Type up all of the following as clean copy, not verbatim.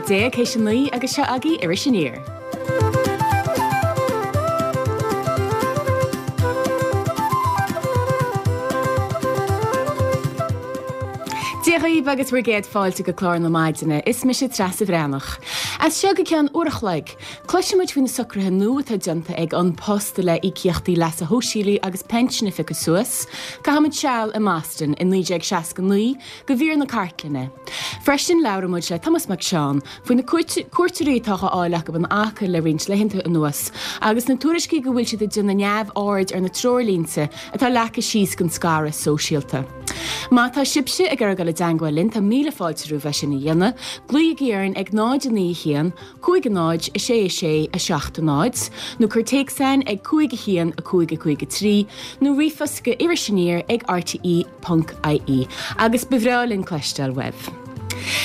théis 9 agus seo agaibh Iris Aniar. Dia dhaoibh agus bhur gcéad fáilte go clár na maidine. Is mise Treasa Bhreathnach. As seo go ceann uair a chloig, cloisfidh muid faoi na socruithe nua atá déanta ag An Post le íocaíochtaí leasa shóisialaigh agus pinsin a phiocadh suas. Caithfidh muid seal i mBoston i 1969 go mhír na cartlainne. Freisin labhróidh muid le Tomás Mac Seáin faoi na cuairteoirí atá á fháil acu in Acaill le roinnt laethanta anuas agus na tuairiscí go bhfuil siad ag déanamh neamhaird ar na treoirlínte atá leagtha síos don scaradh sóisialta. Má tá sibhse ag iarraidh dul i dteangmháil linn tá míle fáilte romhaibh é sin a dhéanamh. Glaoigí orainn ag 0 9 1 5 0 6 6 7 0 nó cuir téacs chugainn ag 5 1 5 5 3 nó ríomhphost go irisaniar ag rte. ponc ie agus ba bhreá linn cloisteáil uaibh.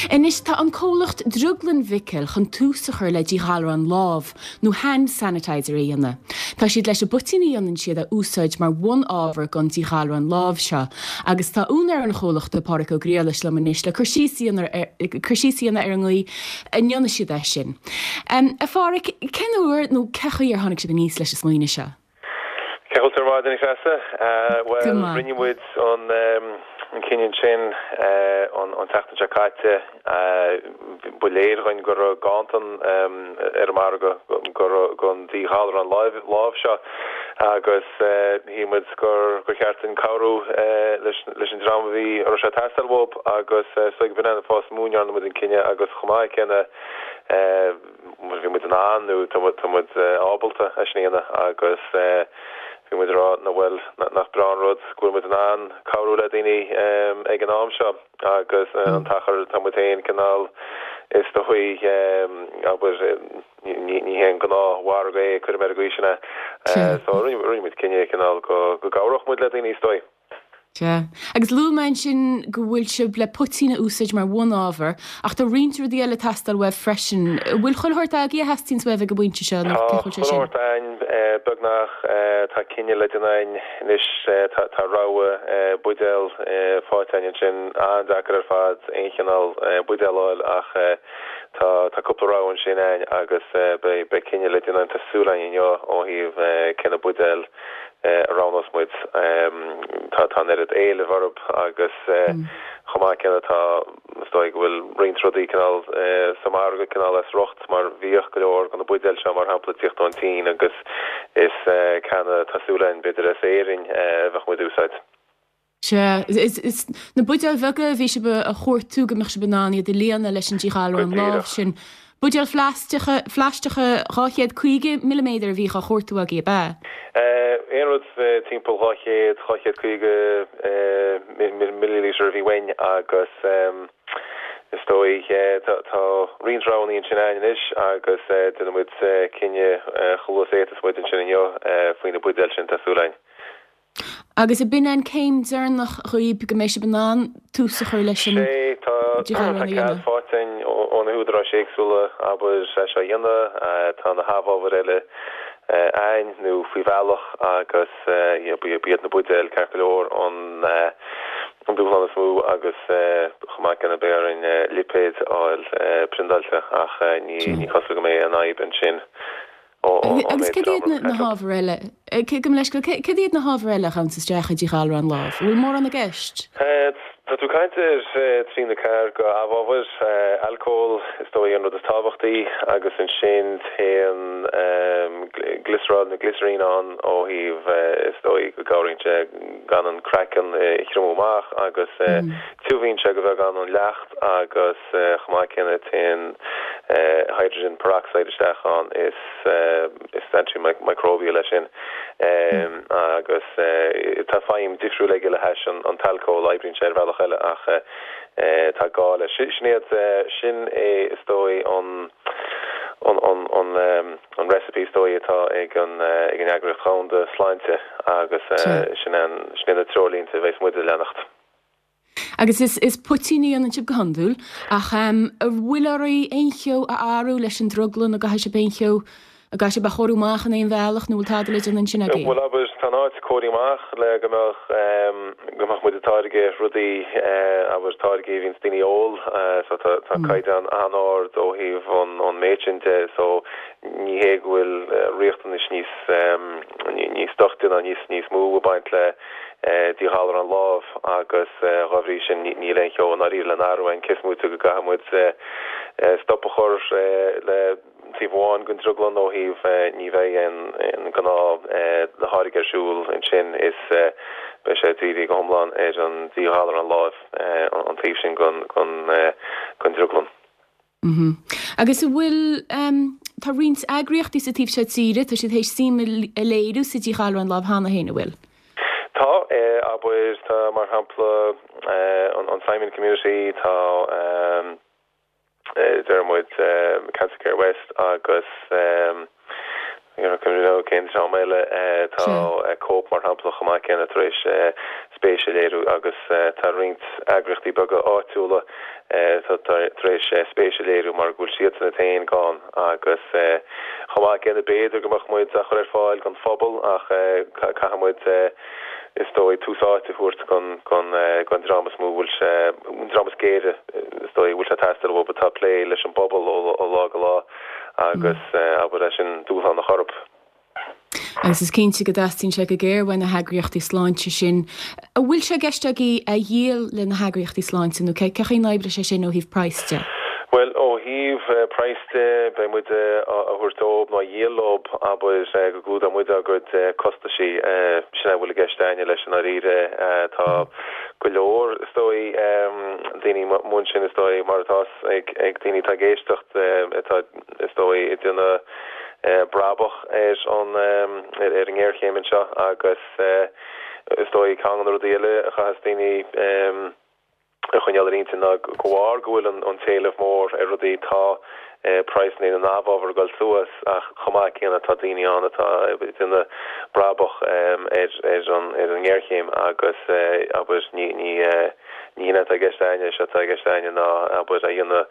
Anois tá an comhlacht Drioglann Mhicil chun tús a chur le díghalrán lámh nó hand sanitizer a dhéanamh. Tá siad leis an bpoitín a dhéanann siad a úsáid mar bhun-ábhar don díghalrán lámh seo agus tá úinéir an chomhlachta, Pádhraic Ó Griallais liom anois le cur síos a dhéanamh ar an gcaoi a ndéanann siad é sin. A Phádhraic, cén uair nó cé chaoi ar tháinig sibh aníos leis an smaoineamh seo? Cén chaoi a bhfuil tú ar maidin, a Threasa? Go Bhuel, maith. rinne muid an cinneadh sin an tseachtain seo caite. Ba léir dhuinn go raibh ganntan ar an margadh don díghalrán lámh seo agus shíl muid gur cheart duinn cabhrú leis an dream a bhí a raibh sé ag teastáil uathu agus is dóigh b'in é an fáth is mó a ndearna muid an cinneadh agus chomh maith céanna bhí muid in ann nó tá muid ábalta é sin a dhéanamh agus bhí muid ag rá ná bhuel nach breá an rud go bhfuil muid in ann cabhrú le daoine ag an am seo agus an t-achar atá muid féin cineál is dóigh abair ní hé an gnáthmhargadh é cuirfidh mé ar an gcaoi sin é so rinne muid cinneadh cineál go gcabhródh muid le daoine is dóigh. Sea. Agus luaigh mé ansin go bhfuil sibh le poitín a úsáid mar bhun-ábhar, ach tá roinnt rudaí eile ag teastáil uaibh freisin. An bhfuil chuile shórt agaibh a theastaíonns uaibh ag an bpointe seo, nó Tá cén chaoi a bhfuil sé chuile sin? shórt againn, beagnach. Tá cinneadh le déanamh againn anois. Tá rogha buidéal faighte againn ansin. An-deacair ar fad aon chineál buidéal a fháil ach tá tá cúpla rogha ansin againn agus beidh cinneadh le déanamh againn, tá súil againn inniu ó thaobh cé na buidéil a roghnós muid. Tá an oiread éilimh orthu agus chomh maith céanna tá, is dóigh go bhfuil roinnt rudaí cineál sa mhargadh cineál as riocht mar bhíodh go leor de na buidéil seo mar shampla ag tíocht ón tSín agus is canna tá súil againn b'fhéidir as Éirinn a bheadh muid a úsáid. Sea, is na buidéil bheaga a bhí sibh a chuartú go mbeadh sibh in ann iad a líonadh leis an Go díghalrán lámh díreach. sin. Buidéil phlaisteacha, phlaisteacha 250 milliméadar a bhíodh á chuartú agaibh, ab ea? Aon rud timpeall 200, 250 milliliter a bhí uainn agus is dóigh tá roinnt roghanna ansin againn anois agus déanfaidh muid cinneadh chomh luath is a fhéadfas muid ansin inniu faoi na buidéil sin, tá súil againn. Agus ab in an céim deireanach dhaoib go mbeidh sibh in ann tús a chur leis an Sé, tá díghalrán tá a cead dhéanamh? faighte againn ó na húdaráis éagsúla, abair, é seo a dhéanamh. Tá na hamhábhair eile againn nó faoi bhealach agus ba iad na buidéil, ceart go leor, an an dúshlán is mó agus chomh maith céanna beidh orainn lipéid a fháil priondáilte ach ní ní cosúil go mbeidh aon fhadhb ansin. Agus cad iad na hábhair eile, gabh mo leithscéal, cad iad na hábhair eile a ghabhanns isteach i díghalrán lámh? An bhfuil mórán i gceist? Tá tú ag caint ar trí nó ceathair de amhábhair, alcól is dóigh an rud is tábhachtaí agus ansin téann glioseral nó glycerine ann ó thaobh is dóigh go gcabhraíonn sé gan an craiceann a thriomú amach agus tiubhaíonn sé go bheagán an leacht agus chomh maith céanna téann hydrogen peroxide isteach ann is is antimicrobial é sin agus tá feidhm difriúil aige le hais an t-alcól, oibríonn sé ar bhealach eile ach tá gá leis. Sin iad, sin é is dóigh an an an an recipe is dóigh atá ag an ag an Eagraíocht Dhomhanda Sláinte agus sin an sin iad na treoirlínte a bheas muid a leanacht. Agus is is poitín a dhéanann sibh go hiondúil, ach an bhfuil oraibh aon cheo a athrú leis an drioglann, an gcaithfidh sibh aon cheo? An gcaithfidh sibh é a chóiriú amach in aon bhealach nó bhfuil tada le déanamh ansin agaibh? Bhuel, abair, tá an áit cóirithe amach le go mbeadh, go mbeadh muid ag táirgeadh rudaí, abair, táirgí a bhíonns daoine a ól, so tá, tá caighdeán an-ard ó thaobh an, an méid sin de, so ní hé go bhfuil riachtanais níos, níos doichte ná níos, níos mó ag baint le díghalrán lámh agus dhá bhrí sin níl aon cheo i ndáiríre le n-athrú ann, cé is móite go gcaithfidh muid stop a chur le. taobh amháin den drioglann ó thaobh ní bheidh aon gnáth tháirge ar siúl ansin is beidh sé dírithe go hiomlán ar an díghalrán láimh an taobh sin den drioglann. Agus an bhfuil, tá roinnt eagraíochtaí sa taobh seo tíre, tá siad théis suim a léiriú sa díghalrán lámh cheana féin, an bhfuil? Tá, abair, tá mar shampla an Simon Community, tá. deir muid Cancer Care West agus cén dream eile tá Cope mar shampla chomh maith céanna tar éis spéis a léiriú agus tá roinnt eagraíochtaí beaga áitiúla tar éis spéis a léiriú mar go bhfuil siadsan iad féin gann agus chomh maith céanna b'fhéidir go mbeadh muid á chur ar fáil don phobal ach caithfidh muid is dóigh, tús áite a thabhairt don dream is mó a bhfuil sé, an dream is géire, is dóigh, a bhfuil sé ag teastáil uathu, atá ag plé leis an bpobal ó lá go lá agus abair é sin dúshlán a chur orthu. Agus is cinnte go dteastaíonn sé go géar uaidh na heagraíochtaí sláinte sin. An bhfuil sé i gceist agaibh a dhíol le na heagraíochtaí sláinte nó cé chaoi n-oibreoidh sé sin ó thaobh praghas de? Bhuel, ó thaobh praghas de, beidh muid á thabhairt dóibh nó á dhíol leo, abair, go gclúdóidh muid ár gcuid costaisí. Sin é a bhfuil i gceist a'inne leis i ndáiríre. Tá go leor, is dóigh, daoine amuigh ansin, is dóigh, mar atá ag daoine atá ag éisteacht, atá, is dóigh, ag déanamh brabach ar an, ar an ngéarchéim anseo agus is dóigh ceann de na rudaí eile a chaithfeas daoine, a choinneáil ar intinn ná de bharr go bhfuil an t-éileamh mór ar rudaí, tá praghsanna na n-amhábhar ag dul suas ach chomh maith céanna tá daoine ann atá ag déanamh brabach ar an ngéarchéim agus abair ní ní hin atá i gceist a'inne, is é atá i gceist a'inne ná abair a dhéanamh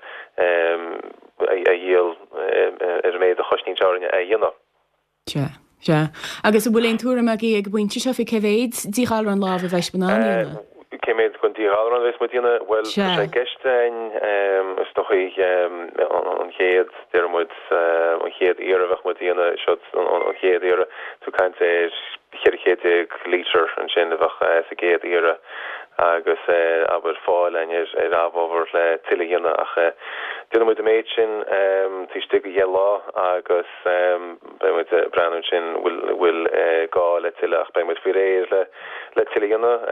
a dhíol ar an méid a chosnaíonn sé orainne é a dhéanamh. Sea, sea. Agus an bhfuil aon tuairim agaibh ag an bpointe seo faoi cé mhéid díghalrán lámh a bheidh sibh in ann a dhéanamh? Cé mhéad den díghalrán a bheas muid a dhéanamh? Bhuel, tá sé i gceist againn, is dóigh, an chéad, déarfaidh muid, an chéad iarraidh a bheadh muid a dhéanamh, seo an chéad iarraidh, tú ag caint ar 1400 lítear ansin a bheadh sa gcéad iarraidh agus, abair, fáil againn ar amhábhar le tuilleadh a dhéanamh ach déanfaidh muid an méid sin taobh istigh de dheich lá agus. Beidh muid ag breathnú ansin an bhfuil gá le tuilleadh ach beidh muid faoi réir le tuilleadh a dhéanamh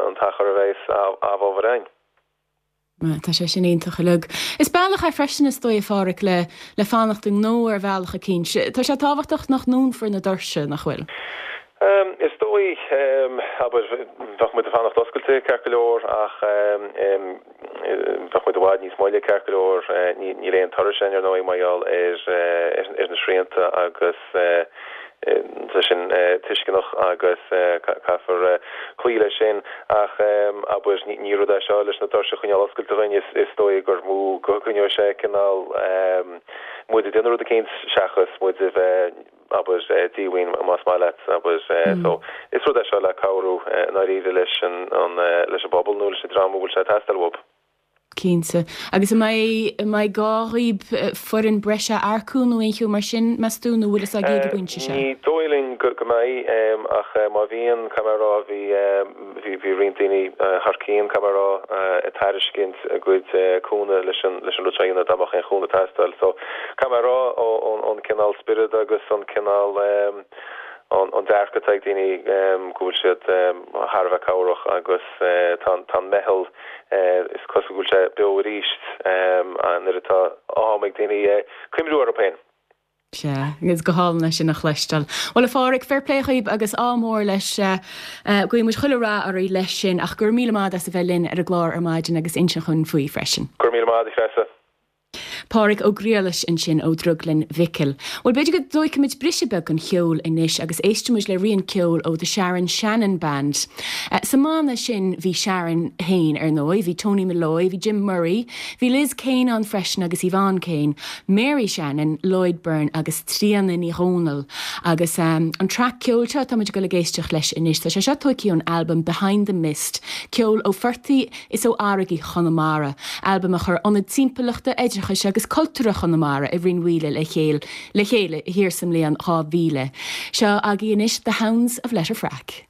an t-achar a bheas amhábhar againn. Tá sé sin iontach uilig. Is bealach é freisin is dóigh a Pháraic le le fanacht i ngnó ar bhealach eicínt. Tá sé tábhachtach nach ndúnfar na doirse, nach bhfuil? Is dóigh, abair, bheadh muid ag fanacht oscailte ceart go leor ach Bheadh muid i bhfad níos moille ceart go leor. Níl aon turais againn ar ndóigh mar gheall ar na srianta agus tá sin tuisceanach agus caithfear cloí leis sin. Ach abair, ní rud é seo leis na doirse a choinneáil oscailte dhúinn, is dóigh gur mó go gcoinneoidh sé cineál muid ag déanamh rud eicínt seachas muid a bheith abair, díomhaoin más maith leat, abair. So, is rud é seo le cabhrú i ndáiríre leis an, leis an bpobal nó leis an dream a bhfuil sé ag teastáil uathu. Cinnte. Agus an mbeidh, an mbeidh gá dhaoib foireann breise a earcú nó aon cheo mar sin, meas tú, nó bhfuil fhios agaibh ag an bpointe seo? Ní dóigh linn go mbeidh, ach má bhíonn, caithfidh mé a rá, bhí, Bhí bhí roinnt daoine thar cionn, caithfidh mé a rá, ag tairiscint a gcuid cúnamh leis an leis an rud seo a dhéanamh dá mbeadh aon chúnamh ag teastáil. So, caithfidh mé a rá, ón cineál spiorad agus an cineál an dearcadh atá ag daoine go bhfuil siad thar a bheith cabhrach agus tá tá an meitheal is cosúil go bhfuil sé beo arís nuair atá am ag daoine cuimhniú orthu féin. Sea, is go hálainn é sin a chloisteáil. Bhuel, a Pháraic, fair play dhaoib agus ádh mór leis. Guíonn muid chuile rath oraibh leis sin ach go raibh míle maith as a bheith linn ar an gclár ar maidin agus insint dhúinn faoi freisin. Go raibh míle maith agat, a Threasa. Pádhraic Ó Griallais ansin ó Dhrioglann Mhicil. Bhuel, b'fhéidir go dtóigfimid briseadh beag den cheol anois agus éistfimid le rian ceoil ó The Sharon Shannon Band. Sa mbanna sin bhí Sharon féin, ar ndóigh, bhí Tony Molloy, bhí Jim Murray, bhí Liz Kane ann freisin agus Yvonne Kane, Mary Shannon, Lloyd Byrne agus Tríona Ní Dhomhnaill. Agus an traic ceoil seo atáimid ag dul ag éisteacht leis anois, tá sé seo tóigthe ón albam Behind the Mist, ceol ó phortaigh is ó fharraigí Chonamara, albam a chuir Ionad Timpeallachta, Oideachais agus Cultúrtha Chonamara i Rinn Mhaoile le chéile le chéile thiar sa mbliain 2000. Seo agaibh anois The Hounds of Letterfrack.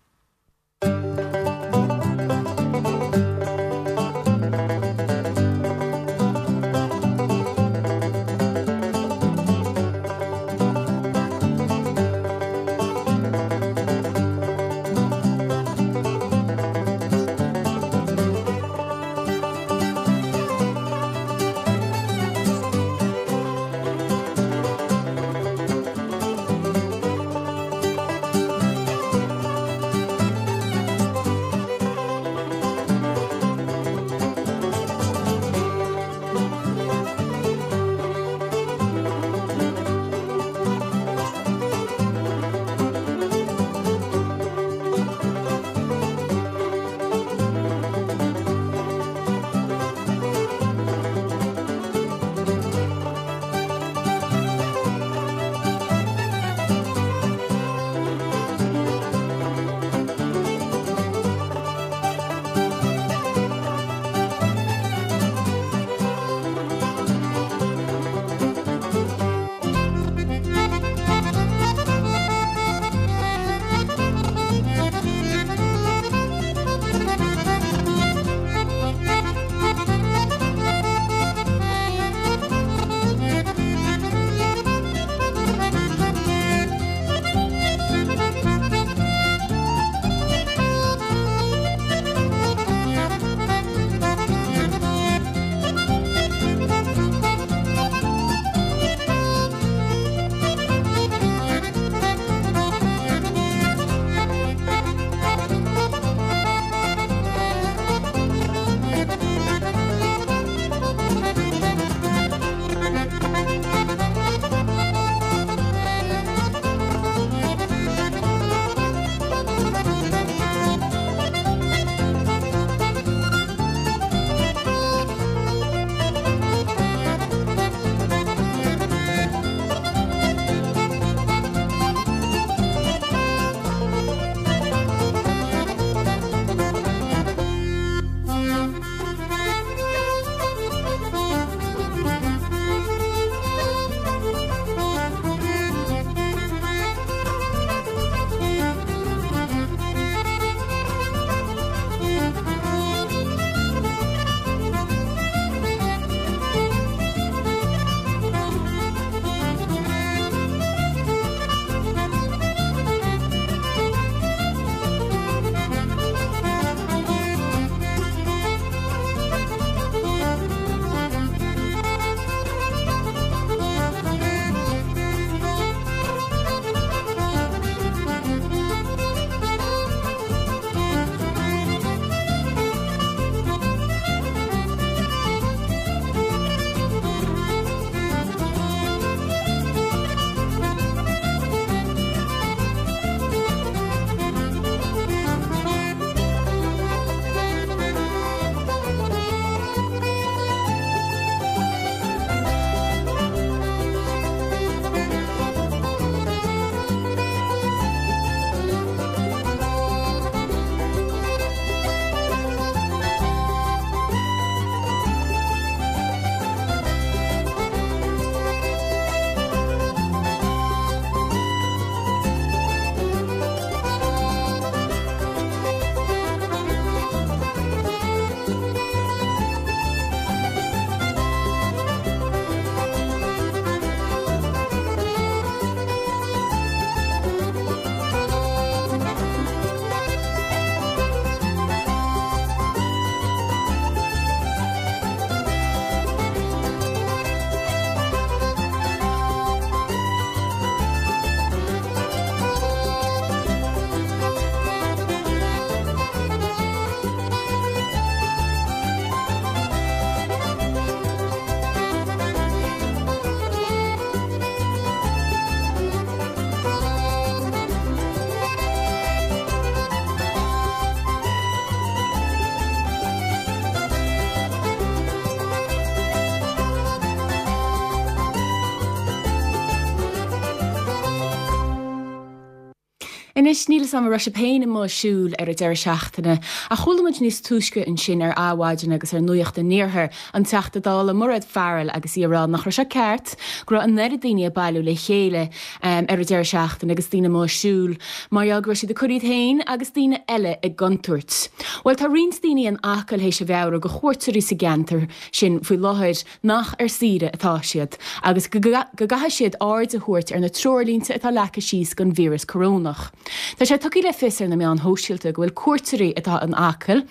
Anois, níl 'fhios a'm an raibh sibh féin amuigh ag siúl ar an deireadh seachtaine, ach chuala muid níos túisce ansin ar Adhmhaidin agus ar Nuacht an Iarthair an Teachta Dála Mairéad Farrell agus í ag rá nach raibh sé ceart go raibh an oiread daoine ag bailiú le chéile ar an deireadh seachtaine agus daoine amuigh ag siúl mar gheall go raibh siad ag cur iad féin agus daoine eile i gcontúirt. Bhuel, tá roinnt daoine in Acaill théis a mheabhrú go chuairteoirí sa gceantar sin faoi láthair nach ar saoire atá siad agus go gcaithfidh siad aird a thabhairt ar na treoirlínte atá leagtha síos don víreas corónach. Tá sé tugtha le fios ar na meáin shóisialta go bhfuil cuairteoirí atá in Acaill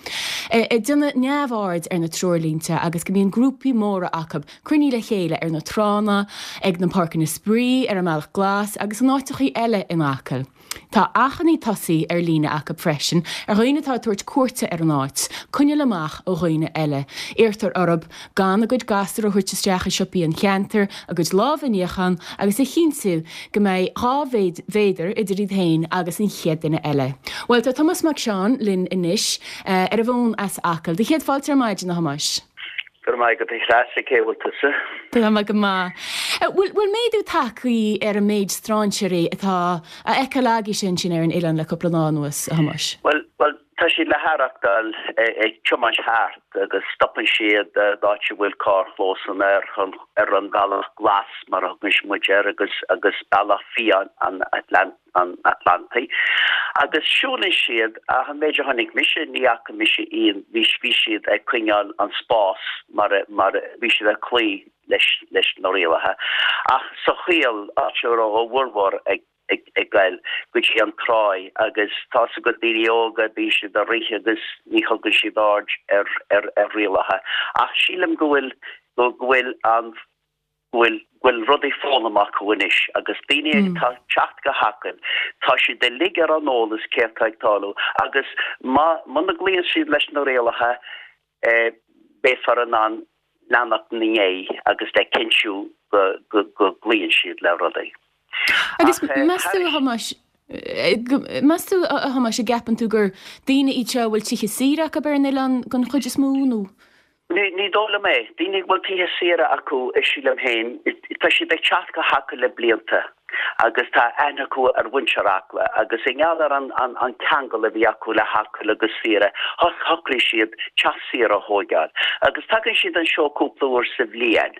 ag déanamh neamhaird ar na treoirlínte agus go mbíonn grúpaí móra acu cruinnithe le chéile ar na tránna, ag na páirceanna spraoi, ar an mBealach Glas agus in áiteachaí eile in Acaill. Tá achainí tosaithe ar líne acu freisin ar dhaoine atá ag tabhairt cuairte ar an áit, coinneáil amach ó dhaoine eile. Iarrtar orthu gan a gcuid gasúr a thabhairt isteach i siopaí an cheantair, a gcuid lámha a níochán agus a chinntiú go mbeidh 2 mhéadar idir iad féin agus an chéad duine eile. Bhuel, tá Tomás Mac Seáin linn anois ar an bhfón as Acaill. Do chéad fáilte ar maidin, a Thomáis. Go raibh maith agat a Threasa, cé bhfuil tusa? Tá mé go maith. Bhfuil méadú tagtha ar an méid strainséirí atá á fheiceáil agaibhse ansin ar an oileán le cúpla lá anuas, a Thomáis? Bhuel, bhuel, tá siad le haireachtáil ag tiomáint thart agus stopann siad d'áit a bhfuil carrchlósanna ar an ar an bhealach glas mar a thugann muid air agus agus bealach fiáin an Atlantaigh. an Atlantaigh, agus siúlann siad, ach an méid a chonaic mise, ní fhaca mise aon, bhí, bhí siad ag coinneáil an spás mar a, mar a, bhí siad ag cloí leis, leis na rialacha. Ach sa Choill, áit a raibh a bhformhór ag, ag, ag goil go dtí an tráigh, agus tá's agat daoine óga, bíonn siad ag rith agus ní thugann siad aird ar, ar, ar rialacha. Ach sílim go bhfuil, go, go bhfuil an, go bhfuil go bhfuil rudaí foghlamtha acu anois agus daoine atá ag teacht go hAcaill, tá siad uilig ar an eolas céard tá ag tarlú agus má muna gcloíonn siad leis na rialacha beifear in ann leanacht ina ndiaidh agus le cinntiú go go go gcloíonn siad le rudaí. Agus meas tú, a Thomáis, meas tú, a Thomáis, an gceapann tú gur daoine iad seo a bhfuil tithe saoire acu ar an oileán den chuid is mó nó? Ní dóigh liom é. Daoine a bhfuil tithe saoire acu, sílim féin, tá siad ag teacht go hAcaill le blianta agus tá aithne acu ar mhuintir Acla agus i ngeall ar an ceangal a bhí acu le hAcaill agus saoire, shocraigh siad teach saoire a thóigeáil. Agus tagann siad anseo cúpla uair sa bhliain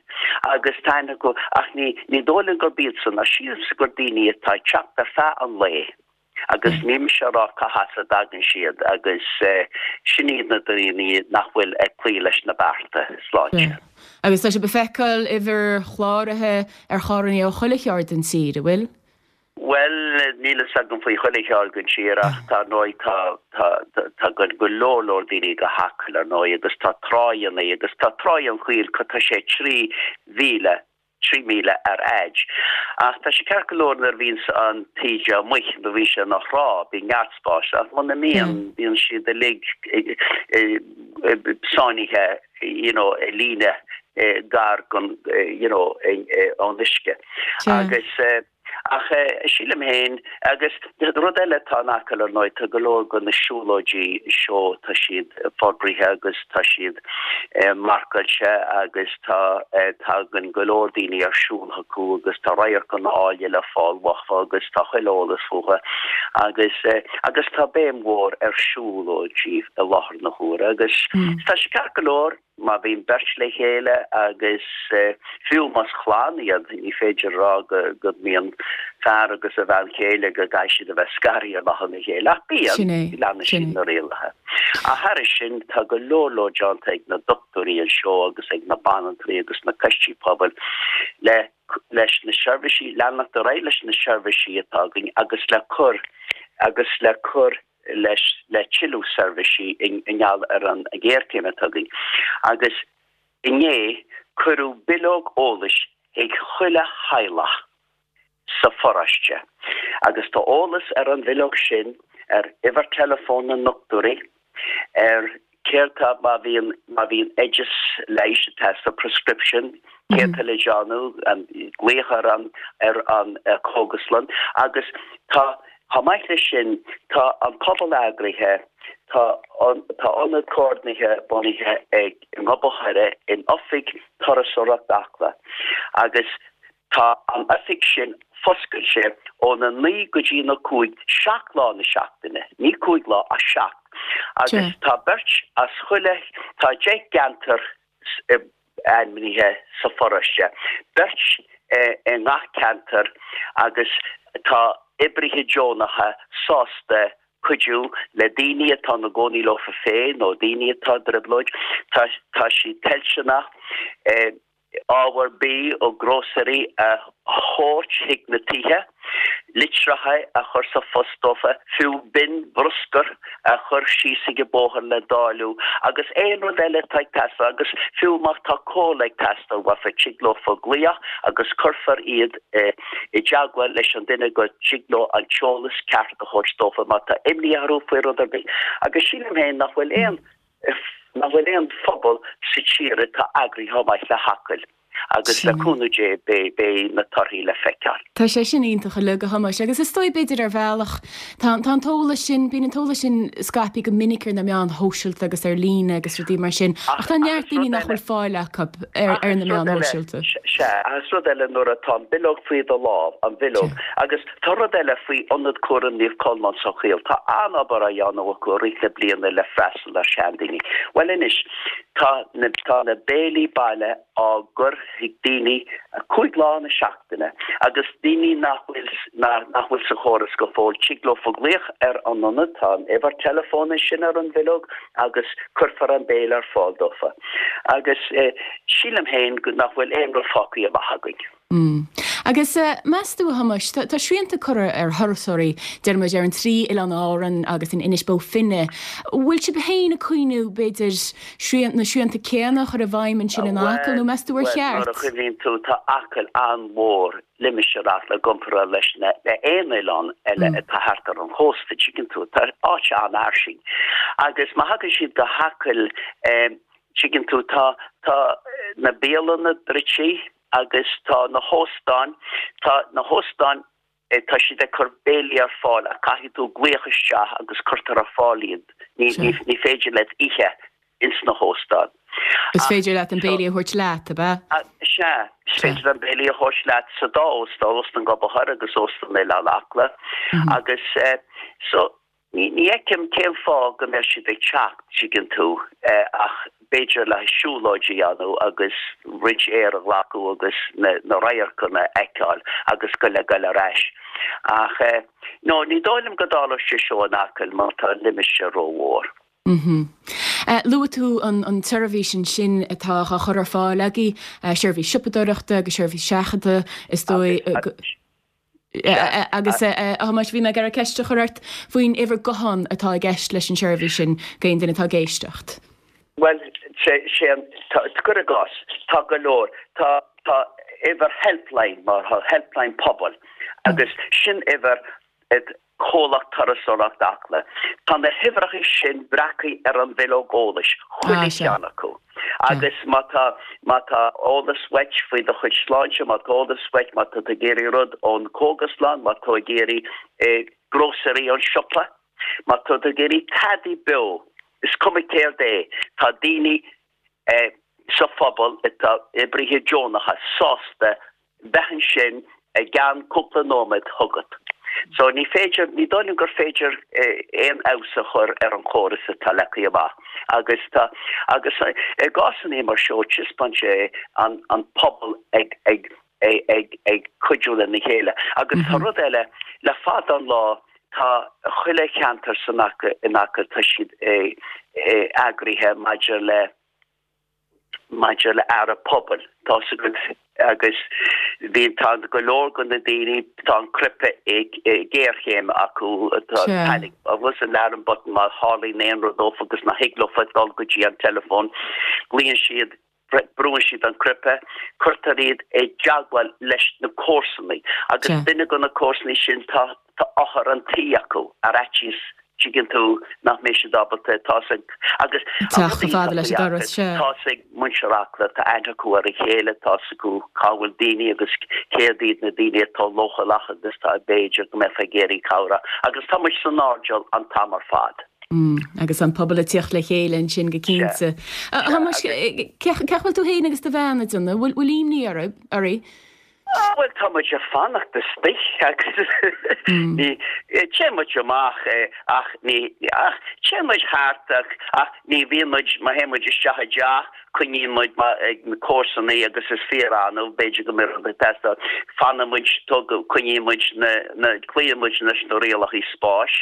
agus tá aithne acu ach ní dóigh liom gurb iadsan, ach sílimse gur daoine atá ag teacht ar feadh an lae. Agus níl mise ag rá cá has a dtagann siad agus sin iad na daoine nach bhfuil ag cloí leis na bearta sláinte. Agus tá sibh ag feiceáil uimhir chláraithe ar charrannaí ó chuile cheard den tír, an bhfuil? Bhuel, níl fhios agam faoi chuile cheard den tír ach tá, ar ndóigh, tá, tá, tagann go leor leor daoine go hAcaill, ar ndóigh, agus tá tráigheanna agus tá Tráigh an Choill, tá sé 3,000 3 mhíle ar fhaid. Ach tá sé ceart go leor nuair a bhíonns an taoide amuigh, nuair a bhíonn sé ina thrá, bíonn neart spáis, ach muna mbíonn, bíonn siad uilig sáinnithe you know i líne gar gon you know ón uisce. Agus. Ach sílim féin, agus rud eile atá in Acaill ar ndóigh, tá go leor de na siúlóidí seo, tá siad forbraithe agus tá siad marcáilte agus tá, tagann go leor daoine ar siúl chucu agus tá radharcanna áille le fáil uathu agus tá chuile eolas fúthu agus, agus tá béim mhór ar siúlóidí i láthair na huaire agus tá sé ceart go leor. Má bhíonn beirt le chéile agus fiú más clann iad, ní féidir a rá go mbíonn fear agus a bhean chéile go gcaithfidh siad a bheith scartha amach óna chéile, ach bíonn, leanann siad na rialacha. Ach thairis sin, tá go leor leor déanta ag na dochtúirí anseo agus ag na banaltraí agus na coistí pobail le leis na seirbhísí, leanacht ar aghaidh leis na seirbhísí atá againn agus le cur agus le cur leis le tuilleadh seirbhísí i ngeall ar an ghéarchéim atá againn agus inné cuireadh bileog eolais chuig chuile theaghlach sa pharóiste agus tá eolas ar an bhileog sin ar uimhir teileafóin na ndochtúirí, ar céard tá má bhíonn má bhíonn oideas leighis ag teastáil prescription, céard tá le déanamh, an glaoch ar an ar an cógaslann agus tá chomh maith leis sin tá an pobal eagraithe, tá an tá ionad comhordaithe bunaithe ag i nGob an Choire in oifig Turasóireacht Acla agus. Tá an oifig sin foscailte óna 9 go dtí na 5, 7 lá na seachtaine, ní 5 lá ach 7, agus tá beirt as chuile, tá 10 gceantar ainmnithe sa pharóiste, beirt i ngach ceantar agus tá oibrithe deonacha sásta cuidiú le daoine atá ina gcónaí leofa féin nó daoine atá i dtrioblóid. Tá tá siad toilteanach ábhar bídh ó grósaeirí a thabhairt chuig na tithe, litreacha a chur sa phost dófa, fiú bin bhruscair a chur síos ag an bóthar le dáileadh agus aon rud eile atá ag teastáil agus fiú má tá comhairle ag teastáil uafa tig leofa glaoch agus cuirfear iad i dteagmháil leis an duine go dtig leo an t-eolas ceart a thabhairt dófa má tá imní orthu faoi rud ar bith agus sílim féin nach bhfuil aon nach bhfuil aon phobal sa tír atá eagraithe chomh maith le hAcaill agus le cúnamh Dé beidh na torthaí le feiceáil. Tá sé sin iontach uilig, a Thomáis, agus is dóigh b'fhéidir ar bhealach tá an t-eolas sin, bíonn an t-eolas sin scaipthe go minic ar na meáin shóisialta agus ar líne agus rudaí mar sin ach tá neart daoine nach bhfuil fáil acu ar na meáin shóisialta. Sea, agus rud eile nuair atá an bileog faoi do lámh, an bhileog, agus Tá rud eile faoi Ionad Cúraim Naomh Colmán sa Choill. Tá an-obair á dhéanamh acu i rith na bliana le freastal ar sheandaoine. Bhuel anois, tá na, tá na béilí baile á gcur chuig daoine 5 lá na seachtaine agus daoine nach bhfuil, nach bhfuil sa chóras go fóill, tig leofa glaoch ar an ionad, tá an uimhir teileafóin ansin ar an bhileog agus cuirfear an béile ar fáil dófa. Agus sílim féin nach bhfuil aon rud fágtha amach againn. Mm. Agus meas tú, a Thomáis, tá srianta curtha ar thurasóirí, deir muid, ar an trí Oileán Árann agus in Inis Bó Finne. Bhfuil sibh féin ag cuimhniú, b'fhéidir, srian, na srianta céanna a chur i bhfeidhm ansin in Acaill, nó meas tú ar cheart? Bhuel, nuair a chuimhníonn tú, tá Acaill an-mhór, limistéar Acaill i gcomparáid leis na, le aon oileán eile atá thart ar an chósta, tuigeann tú, tá áit an-fhairsing. Agus má thagann siad go hAcaill, tuigeann tú, tá, tá na bialanna druidte, agus tá na hóstáin, tá na hóstáin, tá siad ag cur béilí ar fáil ach caithfidh tú glaoch isteach agus cuirtear ar fáil iad. Ní, ní, ní féidir leat ithe ins na hóstáin. Is féidir leat an béilí a thabhairt leat, ab ea? Sea, is féidir an béilí a thabhairt leat sa dá óstán, Óstán Gobadh Thoir agus Óstán Oileán Acla. Agus so, Ní fheicim cén fáth go mbeadh siad ag teacht, tuigeann tú, ach b'fhéidir le siúlóid a dhéanamh agus roinnt aeir a ghlacadh agus na radharcanna a fheiceáil agus go le goil ar ais. Ach no, ní dóigh liom go dtarlóidh sé seo in Acaill mar tá an limistéar rómhór. Luaigh tú an tseirbhís ansin atá á chur ar fáil agaibh, seirbhís siopadóireachta agus seirbhís seachadta, is dóigh. Agus, a Thomáis, bhí mé ag iarraidh ceist a chur ort faoin uimhir gutháin atá i gceist leis an seirbhís sin d'aon duine atá ag éisteacht. Bhuel, sé an, cuir i gcás, tá go leor, tá, tá uimhir helpline mar tá helpline pobail agus sin uimhir Comhlacht Turasóireachta Acla. Tá na huimhreacha sin breactha ar an bhileog eolais, chuile cheann acu. Agus má tá, má tá eolas uait faoi do chuid sláinte, má tá eolas uait, má tá tú ag iarraidh rud ón cógaslann, má tá tú ag iarraidh grósaeirí ón siopa, má tá tú ag iarraidh tada beo, is cuma céard é, tá daoine sa phobal atá oibrithe deonacha sásta bheith ansin i gceann cúpla nóiméad chugat. So ní féidir, ní dóigh liom gur féidir aon fheabhas a chur ar an chóras atá leagtha amach. Agus tá, agus i gcásanna mar seo taispeánann sé an an pobal ag ag ag ag cuidiú lena chéile. Agus tá rud eile, le fada an lá tá chuile cheantar san in Acaill tá siad eagraithe maidir le maidir le aire pobail, tá 's agat, agus bhí, tá go leor de na daoine, tá an cnaipe géarchéime acu, tá panic, agus alarm button má tharlaíonn aon rud dófa agus nach thig leofa dul go dtí an teileafón, glaonn siad, brúann siad an cnaipe, cuirtear iad i dteagmháil leis na comharsanaí agus duine de na comharsanaí sin tá Tá othar an tí acu ar fhaitíos, tuigeann tú, nach mbeidh siad ábalta, tá 's ag, agus an rud iontach faoi Acaill, tá 's ag muintir Acla, tá aithne acu ar a chéile, tá 's acu cá bhfuil daoine agus céard iad na daoine atá leochaileach agus tá b'fhéidir go mbeifeá ag iarraidh cabhrach agus tá muid san airdeall an t-am ar fad. Mm, agus an pobal ag tíocht le chéile ansin go cinnte. A Thomáis, cén chaoi a bhfuil tú féin agus do bhean ag déanamh, bhfuil imní oraibh? Bhuel, tá muid ag fanacht istigh agus ní, téann muid amach ach ní, ach téann muid thart ach, ach ní bhíonn muid, má théann muid isteach i dteach, coinníonn muid ag na comharsanaí agus is fíor-annamh, b'fhéidir go mbeidh rud ag teastáil, fanann muid, coinníonn muid na, na, cloíonn muid leis na rialacha spáis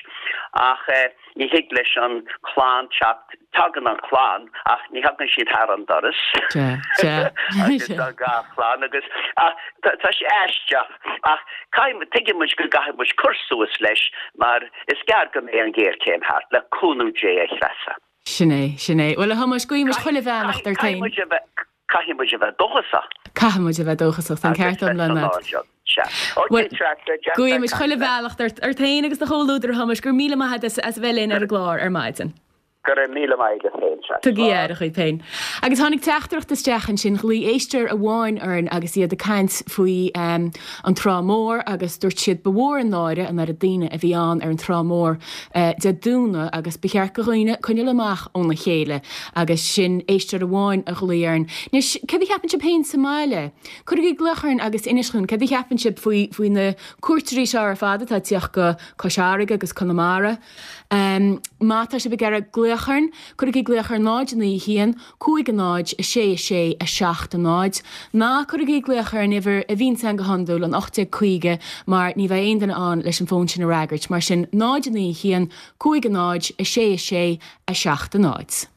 ach eh, Ní thig leis an chlann teacht, tagann an chlann ach ní thagann siad thar an doras. Sea, sea. Agus tá gach clann agus, ach tá sé aisteach ach caithfidh, tuigeann muid go gcaithfidh muid cur suas leis mar is gearr go mbeidh an ghéarchéim thart, le cúnamh Dé a Threasa. Sin é, sin é. Bhuel a Thomáis, guímid chuile bheannacht ort féin. Caithfidh muid a bheith, Caithfidh muid a bheith dóchasach. Caithfidh muid a bheith dóchasach, tá an ceart iomlán agat. Bhuel, guímid chuile bheannacht ort féin agus do chomhluadar a Thomáis, go raibh míle maith agat as a bheith linn ar an gclár ar maidin. Go raibh míle maith agat féin, Treasa. Tugaigí aire dhaoibh féin. Agus tháinig teachtaireacht isteach ansin, ghlaoigh éisteoir amháin orainn agus iad ag caint faoi an Trá Mhór agus dúirt siad ba mhór an náire an oiread daoine a bhí ann ar an Trá Mhór Dé Domhnaigh agus ba cheart do dhaoine coinneáil amach óna chéile agus sin éisteoir amháin a ghlaoigh orainn. Anois, céard a cheapann sibh féin sa mbaile? Cuirigí glaoch orainn agus inis dhúinn céard a cheapann sibh faoi faoi na cuairteoirí seo ar fad atá ag tíocht go Cois Fharraige agus Conamara. Má tá sibh ag iarraidh glaoch orainn, cuirigí glaoch ar 0 9 1 5 0 6 6 7 0. Ná cuirigí glaoch ar an uimhir a bhíonns ann go hiondúil, an 1850, mar ní bheidh aon duine ann leis an bhfón sin a fhreagairt. Mar sin, 0 9 1 5 0 6 6 7 0.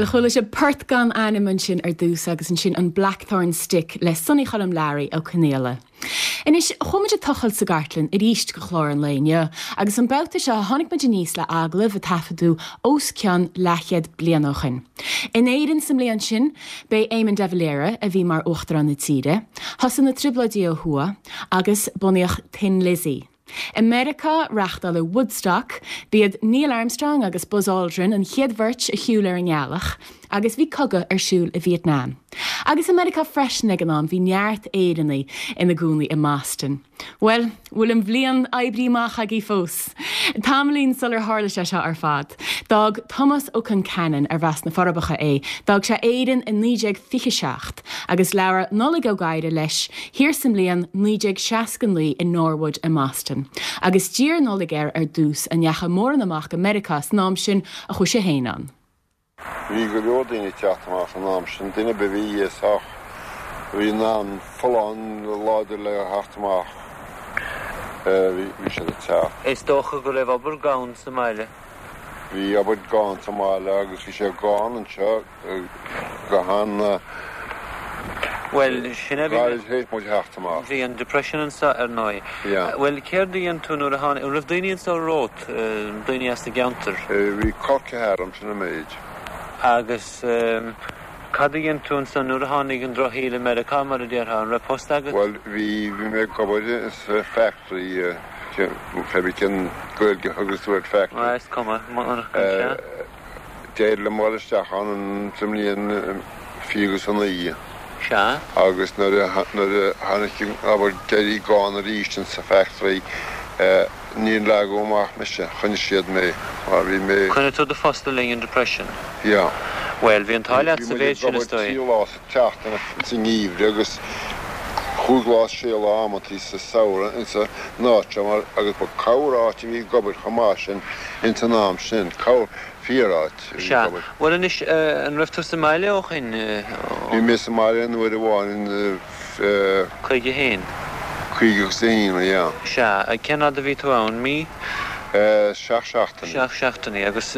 chuala sibh Port gan Ainm ansin ar dtús agus ansin an Blackthorn Stick le Sonny Choilm Learaí Ó Conaola. Anois, chuaigh muid ag tochailt sa gcartlann arís do chlár an lae inniu agus an babhta seo tháinig muid aníos le agallamh a taifeadadh os cionn leathchéad bliain ó shin. In Éirinn sa mbliain sin, b'é Éamon de Valera a bhí mar Uachtarán na tíre, thosaigh na Trioblóidí ó thuaidh agus bunaíodh Thin Lizzy. I Meiriceá, reáchtáladh Woodstock, b'iad Neil Armstrong agus Buzz Aldrin an chéad bheirt a shiúil ar an ngealach, agus bhí cogadh ar siúl i Vietnam. Agus i Meiriceá freisin ag an am bhí neart Éireannaigh ina gcónaí i mBoston. Bhuel, bhfuil an bhliain oibrithe amach agaibh fós? Tamaillín sular tharla sé seo ar fad, d'fhág Tomás Ó Conceanainn, arbh as na Forbacha é, d'fhág sé Éirinn i 1927 agus labhair Nollaig Ó Gadhra leis thiar sa mbliain 1969 i Norwood i mBoston. Agus d'iarr Nollaig air ar dtús an ndeachaigh mórán amach go Meiriceá san am sin a chuaigh sé féin ann. Bhí go leor daoine ag teacht amach san am sin, duine ar bith a bhí sách, a bhí in ann folláin láidir le theacht amach, bhí siad ag teacht. Is dócha go raibh obair gann sa mbaile. Bhí obair gann sa mbaile agus bhí sé gann anseo. go han Bhuel, sin é, bhí gairid théis muid theacht amach. Bhí an Depression anseo, ar ndóigh. Yeah. Bhuel, céard a dhein tú nuair a tháinig, an raibh daoine anseo romhat, daoine as an gceantar? Bhí col ceathar agam, sin an méid. Agus cad a dhein tú ansan nuair a tháinig an drochshaol i Meiriceá, mar a déarfá, an raibh post agat? Bhuel, bhí, bhí mé ag obair sa factory, cé bith cén Gaeilge a thugas tú ar factory. Bhuel, is cuma, monarcha, sea. D'éirigh liom dul isteach ann sa mbliain 29. Sea. Agus nuair a tháinig an obair d'éirigh gann arís in sa factory níor leagadh amach mise, choinnigh siad mé mar bhí mé. Choinnigh tú do phost le linn an Depression? Yeah. Bhuel, bhí an t-ádh leat sa mhéid sin, is dóigh. Bhí muid ag obair trí lá sa tseachtain sa ngeimhreadh agus chúig lá, sé lá amantaí sa samhradh insa áit seo mar agus ba corr-áit a bhí ag obair chomh maith sin ins an am sin, corr fíor-áit a bhí Sea. ag obair. Bhuel anois, an raibh tú sa mbaile ó shin? Bhí mé sa mbaile an uair amháin in. 51. 51, yeah. Sea. Cén fhad a bhí tú ann? Mí? Seacht seachtainí. Seacht seachtainí. Agus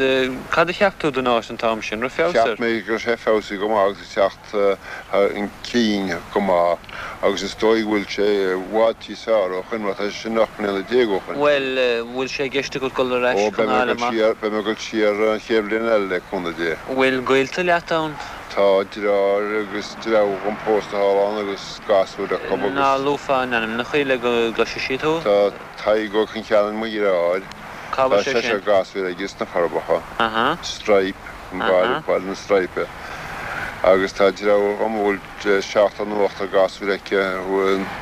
cad a cheap tú den áit an t-am sin? Raibh feabhas air? Cheap mé go raibh sé feabhsaithe go maith agus ag teacht chun cinn go maith agus is dóigh go bhfuil sé i bhfad níos fearr ó shoin mar tá sé sin 18 mbliana ó shoin. Bhuel, bhfuil sé i gceist agat dul ar ais Ó, chun beidh mé ag fháil dul amach? siar, beidh mé ag dul siar an chéad bhliain eile le cúnamh Dé. Bhfuil gaolta leat ann? Tá deartháir agus deirfiúr dhom pósta thall ann agus gasúir acu agus. Ná luafá a n-ainmneacha le go gcloisfidh siad thú? Tá Tadhg Ó Concheanainn mo dheartháir. Cá Tá bhfuil sé seisear sin? gasúir aige sna Forbacha. Aha. Stripe, an baile, Baile na Straipe. Agus tá deirfiúr dhom a bhfuil seachtar nó ochtar gasúir aici i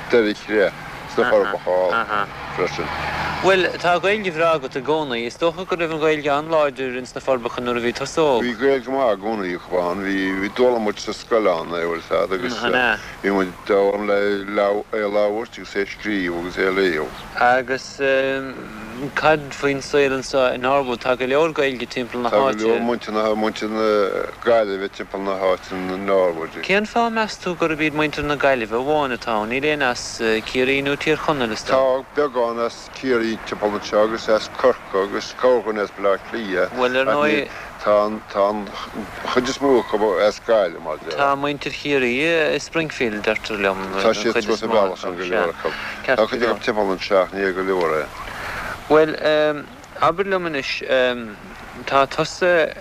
nDoire Chreith sna Forbacha freisin. Bhuel, tá Gaeilge bhreá agat i gcónaí. Is dócha go raibh an Ghaeilge an-láidir ins na Forbacha nuair a bhí tusa óg. Bhí Gaeilge maith i gcónaí acu ann. Bhí, bhí d'fhoghlaim muid sa scoil ann é, bhfuil 'fhios a'd, agus bhí muid d'fhoghlaim le é a labhairt agus é a scríobh agus é a léamh. Agus cad faoin saol anseo i Norwood? Tá go leor Gaeilge timpeall na Tá go háite. leor muintir na, muintir na Gaillimhe timpeall na háite in Norwood. Cén fáth, meas tú, gurb iad muintir na Gaillimhe amháin atá ann? Níl éinne as Ciarraí nó Tír Chonaill, is dóigh. Tá beagán as Ciarraí timpeall anseo agus as Corcaigh agus corrdhuine as Baile Átha Cliath Bhuel, ar ach ndóigh. níl, tá an, tá an chuid is mó acu as Gaillimh, mar a déarfá. Tá muintir Chiarraí i Springfield, deirtear liom, Tá an siad chuid suas is an mó bealach acu, san go sea. leor acu. Ceart Tá go cuid leor. acu timpeall anseo ach ní go leor é. Bhuel, abair liom anois, tá tusa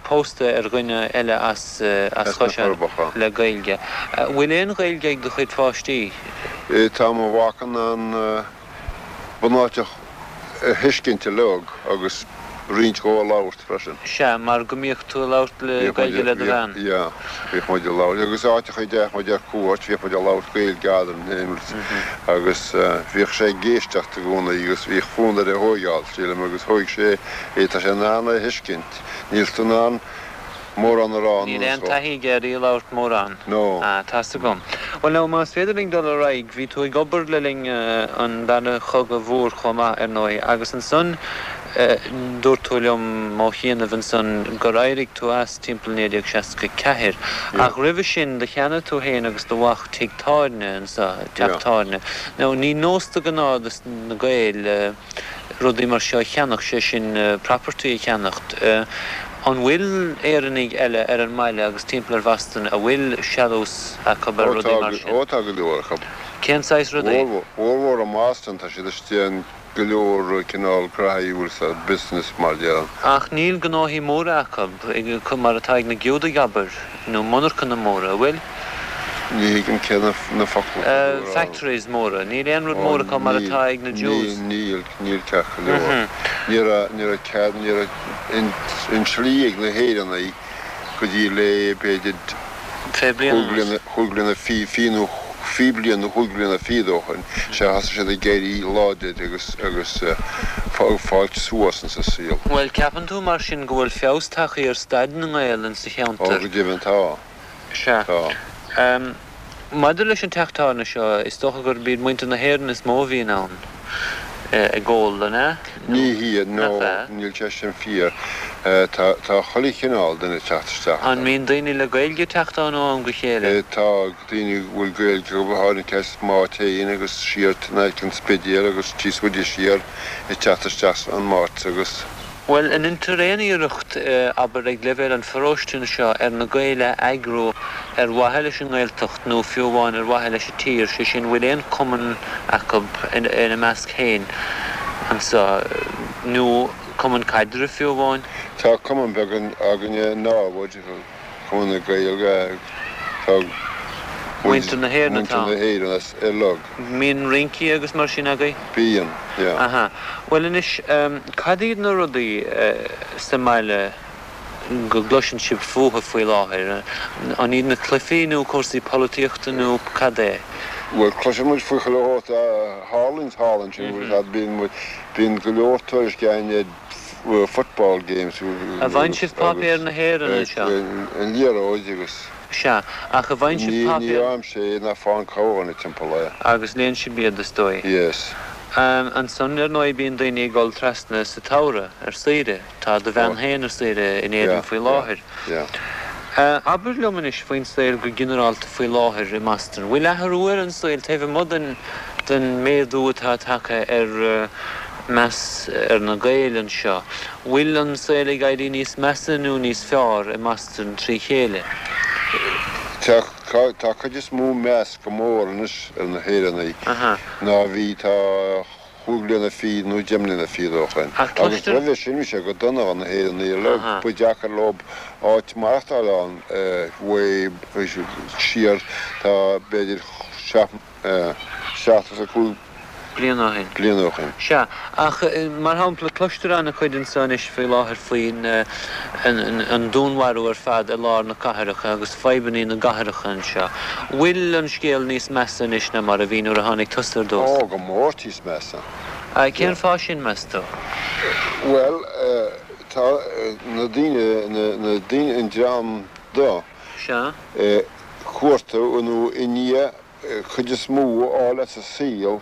pósta ar dhuine eile as as As na Caiseal Forbacha. le Gaeilge. Bhfuil aon Ghaeilge ag do chuid pháistí? Tá mo mhac in ann bunáite a thuiscint uilig agus roinnt dhó a labhairt freisin. Sea, mar go mbíodh tú ag labhairt le Gaeilge le do bhean. Yeah, bhíodh muid ag labhairt agus áiteachaí a dtéadh muid ar cuairt bhíodh muid ag labhairt Gaeilge eadrainn féin agus bhíodh sé ag éisteacht i gcónaí agus bhíodh fonn air é a thóigeáil, sílim, agus thóig sé é, tá sé in ann é a thuiscint, níl tú in ann mórán a rá Níl anuas aon dhó. taithí aige ar í a labhairt mórán. No. Ah, tá's agam. Bhuel now, más féidir linn dul ar aghaidh, bhí tú ag obair le linn an Dara Chogadh Mhór chomh maith, ar ndóigh, agus ansan dúirt tú liom ó chianaibh ansan gur éirigh tú as timpeall 1964. Yeah. Ach roimhe sin, do cheannaigh tú féin agus do mhac tigh tábhairne anso, teach Yeah. tábhairne. Now, ní nós de ghnáth dos na Gaeil, rudaí mar seo a cheannach, sé sin property a cheannacht. An bhfuil Éireannaigh eile ar an mbaile agus timpeall ar Bhoston a bhfuil sealús acu ar rudaí mar sin? Ó tá go leor acu. Cén saghas rudaí? Mórmhór i mBoston tá siad istigh in go leor cineál graithí bhfuil sa business mar déarfainn. Ach níl gnóthaí móra acu, mar atá ag na Giúdaigh abair, nó monarchana móra, an bhfuil? Ní thuigim cé na focla atá tú a rá. Factories móra. Níl aon rud mór acu mar atá ag na Jews. Níl, níl ceart go leor. Ní raibh, ní raibh cead, ní raibh an tslí ag na hÉireannaigh go dtí le b'fhéidir chúig bliana fiche nó fiche bliain nó chúig bliana fichead ó shoin, sea thosaigh siad ag éirí láidir agus, agus ag fáilt suas insa saol. Bhuel, ceapann tú mar sin go bhfuil feabhas tagtha ar staid na nGael insa cheantar? Ó, go deimhin tá. Sea. Tá. Maidir leis an teach tábhairne seo, is dócha gurb iad muintir na hÉireann is mó a bhíonn ann ag ól, an ea? Ní hea, no, Nach ea? níl sé sin fíor. Tá, tá chuile chineál duine ag teacht isteach An mbíonn daoine le Gaeilge ag teacht ann ó am go chéile? Tá daoine a bhfuil Gaeilge acu, go háirithe as Maigh Féin agus siar in aice an Spidéil agus tíos faide siar ag teacht isteach an Máirt agus. Bhuel, an ndeintear aon iarracht, abair, ag leibhéal an pharóiste anseo ar na Gaeil a eagrú ar mhaithe leis an nGaeltacht nó fiú amháin ar mhaithe leis an tír, sé sin, bhfuil aon cumann acu ina measc féin anseo nó cumann caidrimh fiú amháin? Tá cumann beag againne i Norwood. Cumann na Gaeilge, tá Muintir na hÉireann atá Muintir na hÉireann as uilig. Mbíonn rincí agus mar sin agaibh? Bíonn, yeah. Aha. Bhuel anois, cad iad na rudaí sa mbaile go gcloiseann sibh fúthu faoi láthair? An iad na cluichí nó cúrsaí polaitíochta nó cad é? Bhuel, cloiseann muid faoi chuile shórt a tharlaíonn thall ansin, bíonn muid, bíonn go leor tuairisc againn ar football games An bhfaigheann sibh páipéar na hÉireann anseo? An liathróid agus. Sea, ach an bhfaigheann sibh Ní páipéar. fhaighimse é ná faigheann corrdhuine timpeall é. Agus léann sibh iad, is dóigh. Yes. Ansan, ar ndóigh, bíonn daoine ag dul trasna sa tsamhradh, ar saoire. Tá do bhean féin ar saoire in Éirinn faoi láthair. Yeah, yeah. Abair liom anois faoin saol go ginearálta faoi láthair i mBoston. Bhfuil athrú ar an saol taobh amuigh den den méadú atá tagtha ar meas ar na Gaeil anseo. Bhfuil an saol ag éirí níos measa nó níos fearr i mBoston trí chéile? Tá, tá cuid is mó meas go mór anois ar na hÉireannaigh ná a bhí tá chúig bliana fichead nó deich mbliana fichead ó shoin. Agus roimhe sin bhí sé go dona do na hÉireannaigh uilig, ba deacair leo áit maireachtáil ann way siar tá b'fhéidir seacht 75 bliain ó shin. bliain ó shin. Sea, ach mar shampla, cloistear an-chuid anseo anois faoi láthair faoin an dúnmharú ar fad i lár na cathrach agus fadhbannaí na gcathracha anseo. Bhfuil an scéal níos measa anois ná mar a bhí nuair a tháinig tusa ar dtús? Ó, go mór níos measa. Cén fáth sin, meas tú? Bhuel, tá na daoine, na daoine, an dream dubh, Sea. cuartú nó i ndiaidh cuid is mó a fháil as an saol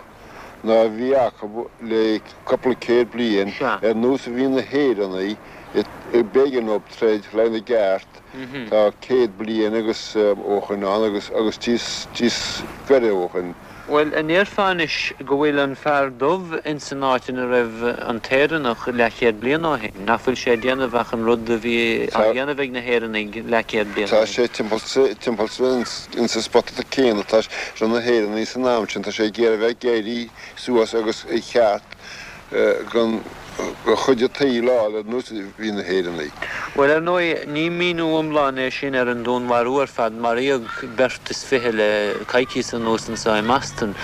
ná a bhí acu le cúpla céad bliain, ar nós a bhí na hÉireannaigh b'éigean dóibh troid le na gceart tá 100 bliain agus ó shoin ann agus agus níos gaire ó shoin. Bhuel, an ndéarfá anois go bhfuil an fear dubh ins an áit ina raibh an t-Éireannach leathchéad bliain ó shin? Nach bhfuil sé ag déanamh ach an rud a bhí á dhéanamh ag na hÉireannaigh leathchéad bliain ó Tá shin? sé timpeall, timpeall ins an spota céanna atá sé na hÉireannaigh san am sin, tá sé ag iarraidh a bheith ag éirí suas agus a cheart gon chuid an tsaoil a fháil ar nós a bhí na hÉireannaigh. Bhuel, ar ndóigh, ní míniú iomlán é sin ar an dúnmharú ar fad. Maraíodh beirt is fiche le coicíos anuas anseo i mBoston.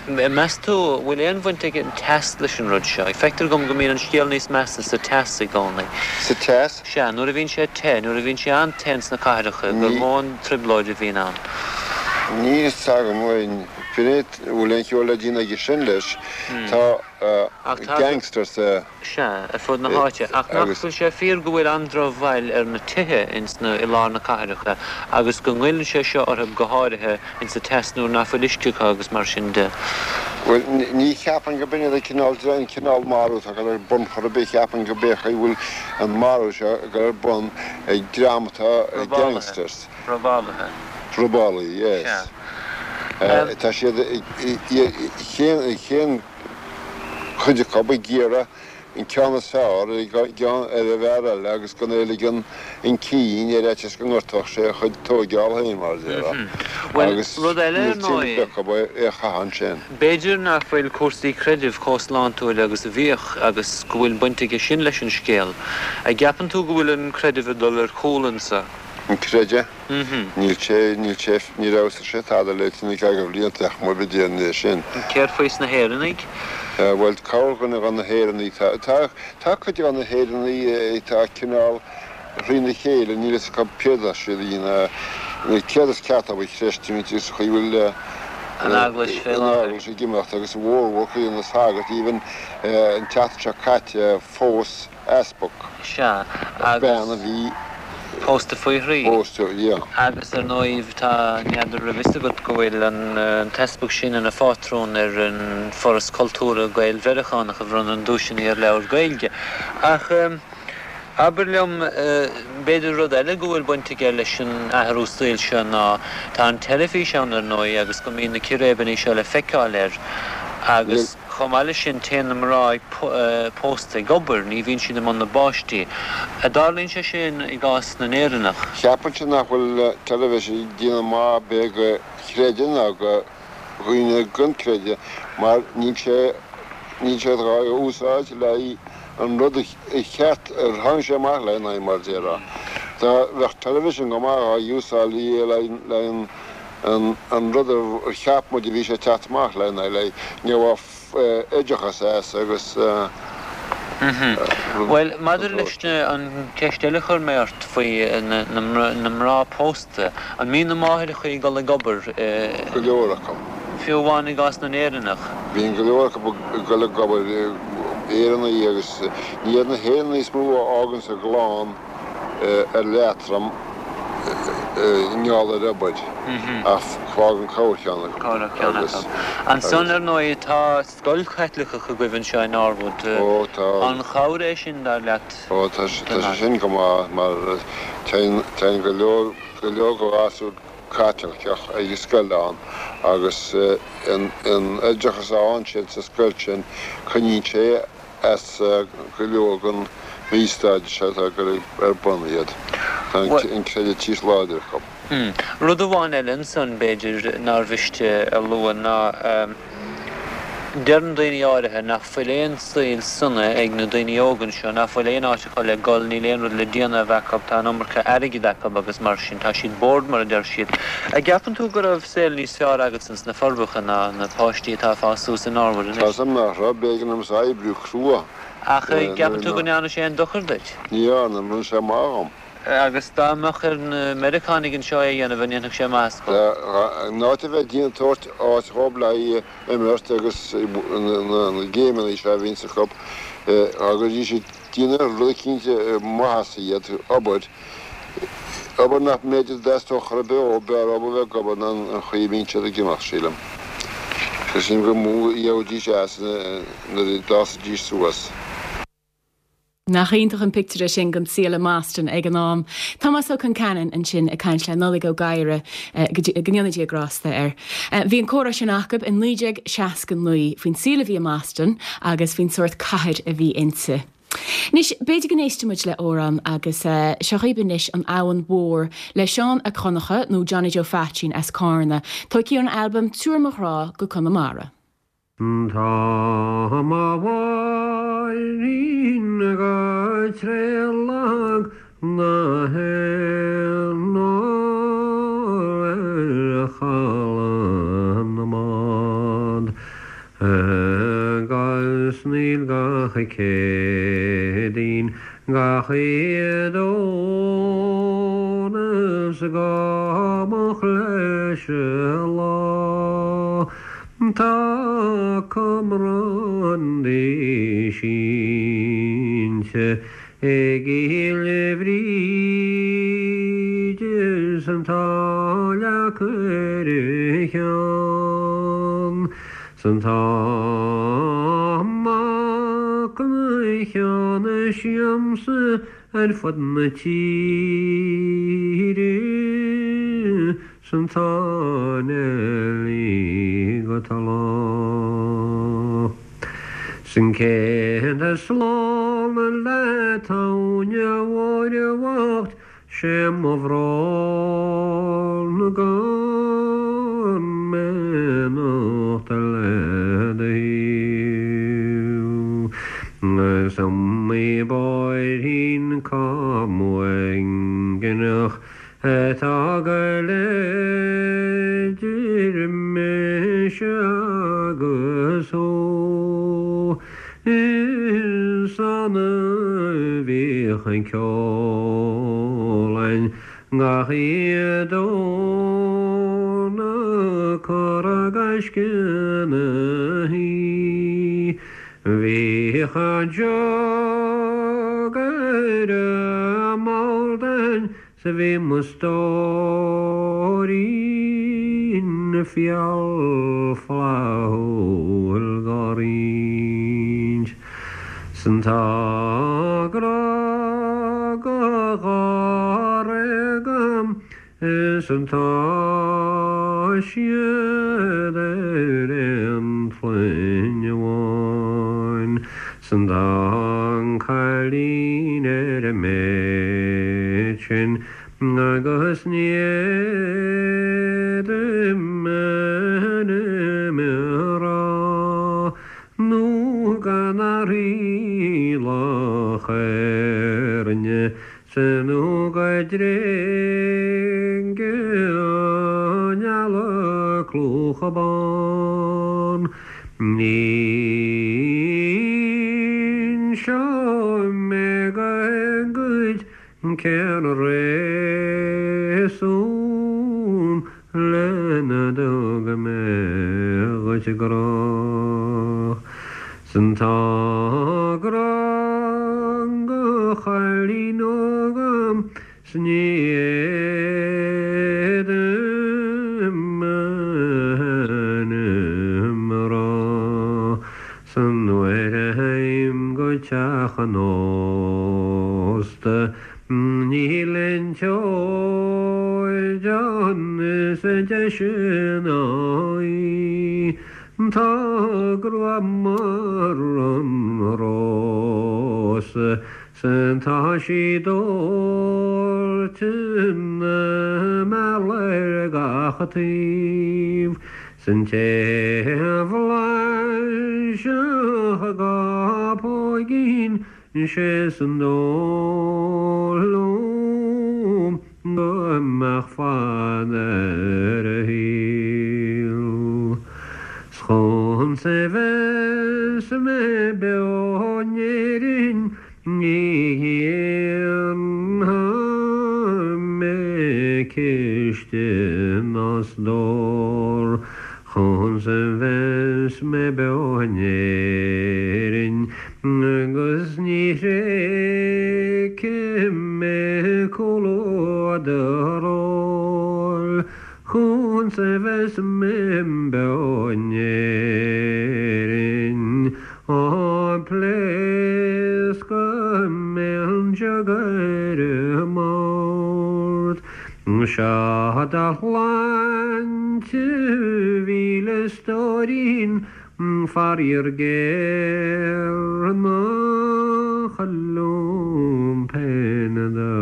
Meas tú, bhfuil aon bhaint ag an teas leis an rud seo? Feictear dom go mbíonn an scéal níos measa sa teas i gcónaí. Sa teas? Sea, nuair a bhíonn sé te, nuair a bhíonn sé an-te ins na cathracha, gur mó an trioblóid a bhíonn ann. Níl fhios agam, bhuel, bhfuil aon cheol le déanamh aige sin leis. Tá gangsters. Sea, ar fud na háite. Ach nach bhfuil sé fíor go bhfuil an-drochbhail ar na tithe ins na, i lár na cathracha agus go ngoilleann sé seo orthu go háirithe ins an teas nuair nach bhfuil uisce acu agus mar sin de. Bhuel, ní cheapaim go b'in iad an cineál, an cineál marú atá ag dul ar bun chor ar bith. Cheapfainn go b'é chaoi bhfuil an marú seo ag dul ar bun ag dream atá, gangsters. Robálaithe. Robálaithe, yes. Sea. Tá siad, cén, cén chuid acu ag iarraidh. an ceann is fearr ar an gceann ar an bhfear eile agus gan é a ligean chun cinn ar fhaitíos go ngortódh sé a chuid tóigeála féin, mar a déarfá. Bhuel, Agus rud eile ar níl tinneas ndóigh. acu é a chaitheamh ansin. B'fhéidir nach bhfuil cúrsaí creidimh chomh sláintiúil agus a bhíodh agus go bhfuil baint aige sin leis an scéal. A' gceapann tú go bhfuil an creideamh ag dul ar chúl anso? An creideamh? Níl sé, níl sé, níor fheabhsaigh sé tada le tine ceathracha blianta ach má bhí déan é sin. Céard faoi sna hÉireannaigh? Bhuel, corrdhuine de na hÉireannaigh, tá, tá, tá cuid de na hÉireannaigh atá cineál thrína chéile, níl fhios acu céard atá siad a dhéanamh, céard is ceart dóibh a chreistiúint agus an chaoi a bhfuil An Eaglais fé an láthair. Eaglais ag imeacht agus a mhórmhór cuid de na sagairt, even an tseachtain seo caite phós easpag. Sea, Bean agus a bhí. pósta faoi thrí. Pósta, yeah. Agus ar ndóigh tá, n'fheadar raibh fhios agat go bhfuil an t-easpag sin ina phátrún ar an Foras Cultúrtha Gael-Mheiriceánach a bhronnann duaiseanna ar leabhair Gaeilge. Ach abair liom, b'fhéidir rud eile go bhfuil baint aige leis an athrú saoil seo ná tá an teilifís ann ar ndóigh agus go mbíonn na círéibeanna seo le feiceáil air agus. Chomh maith leis sin, téann na mná pósta ag obair, ní bhíonn siad i mbun na bpáistí. A dtarlaíonn sé sin i gcás na nÉireannach? Cheapfainnse nach bhfuil teilifís ag déanamh maith ar bith do chreideamh ná do dhaoine gan creideamh mar níl sé níl sé dhá úsáid le haghaidh an rud a cheart ar tháinig sé amach lena aghaidh mar a déarfá. Dá bheadh television go maith dhá úsáid le haghaidh an an rud a cheap muid a bhí sé ag teacht amach lena aghaidh, ní bheadh oideachas as agus rud Bhuel, den maidir leis sórt. an cheist eile a chuir mé ort faoi na mná pósta, an mbíonn na máithreacha ag dul ag obair? Go leor acu. Fiú amháin i gcás na nÉireannach? Bíonn go leor acu ag dul ag obair, Éireannaigh agus ní hiad na hÉireannaigh is mó a fháganns a gclann. ar leatrom i ngeall ar obair, ach fágann corrcheann acu. Corrcheann acu. Ansan, ar ndóigh, tá scoil Chaitliceach agaibh anseo i Norwood. Ó, tá. An chabhair é sin, dar leat? Ó, tá sé sin go maith, mar téann go leor, go leor de ghasúir Caitliceach ag an scoil ann agus an oideachas a fhaigheann siad sa scoil sin, coinníonn sé as go leor den mhí-staid seo atá ag dul ar bun iad. Tá an creideamh níos láidre acu. Rud amháin eile ansan, b'fhéidir, nár mhiste a lua ná deireann daoine áirithe nach bhfuil aon saol sona ag na daoine óga anseo, nach bhfuil aon áit acu le gul, níl aon rud le déanamh acu, tá an iomarca airgid acu agus mar sin, tá siad bored mar a deir siad. A' gceapann tú go raibh saol níos fearr agatsa sna Forbacha ná na páistí atá ag fás suas i Norwood anois? Tá 'fhios a'm nach raibh, b'éigean domsa oibriú crua. Ach an gceapann tú go ndearna sé aon dochar duit? Ní dhearna, rinne sé maith dhom. Agus dá mbeadh ar na Meiriceánaigh anseo é a dhéanamh, an ndéanfadh sé maitheas dhóibh? In áit a bheith ag déanamh tabhairt áit dhóibh le haghaidh imirt agus na géimeanna seo a bhíonns acu, dá gcuiridís ag déanamh rud eicínt maitheasa iad, obair, Obair nach mb'fhéidir dteastódh chor ar bith ó, b'fhearr dhóibh a bheith ag obair ná an chaoi a mbíonn siad ag imeacht, sílim. Sílim gur mó a gheobhaidís as nuair a d'fhásfaidís suas. Nach iontach an pictiúr é sin den saol i mBoston ag an am. Tomás Ó Conceanainn ansin ag caint le Nollaig Ó Gadhra, go ndéana Dia grásta air. Bhí an comhrá sin acu i 1969 faoin saol a bhí i mBoston agus faoin sórt cathair a bhí inti. Anois, b'fhéidir go n-éistfidh muid le amhrán agus seo dhaoibh anois An Abhainn Mhór le Seán 'Ac Dhonncha nó Johnny Joe Pheaitsín as Cárna, tógtha ón albam Tabhair Mo Ghrá go Conamara. Tá mo mháithrín go tréith lag na hÉireann ar chaladh na mbád. Agus níl gach Céadaoin, gach Aoine is go moch leis an lá. Tá cumrán di sínte i gCill Bhríde 's tá leac ar a cheann 's tá mac na cheann siamsa ar fud na tíre 's tá Neilí go talamh. 'S an céad slán leat a Áine Mhóir bhocht 'Sé mo bhrón gan mbeannacht le do thaobh. Is iomaí bóithrín cam uaigneach atá go léir idir mise agus thú. Is annamh a bhíodh an ceol a'inn gach oíche Domhnach cur i gaisce na shuí. Bhíodh an jug ar an mbord a'inn 'S bhí mo stóirín fial flaithiúil dhá roinnt. 'S an tá grá go dháréag a'm is an tá siad ar aon chloinn amháin. 'S an tá an cailín ar an méid sin agus ní fhéadaim m'ainm a rá nó gan athraí Loch Éirne 's nó go dtréige an eala clúmhach bán. Ní inseoidh mé dhuit cén réasún lena dtug mé dhuit grá. 'S an tá grá go chailín óg a'm 's ní fhéadaim m'ainm a rá. 'S an uair a théim go teach an ósta níl aon tseoid ann is deise ná í. Tá a grua mar an rós 's tá sí dóite ina meala ar gach taobh 's an té a bhlaisfeadh a gá póigín 'Sé is dóigh liom go mbeadh fad ar a shaol. 'S chugamsa a bheas mé beo in Éirinn ní dhéanfaidh mé ciste ná stór. Chugamsa a bheas mé beo in Éirinn agus ní thréigfidh mé comhluadar óil. Chugamsa a bheas mé beo in Éirinn, á pléascfaidh mé an jug ar an mbord. Seo do shláinte a mhíle stóirín Faraor géar nach liom féin do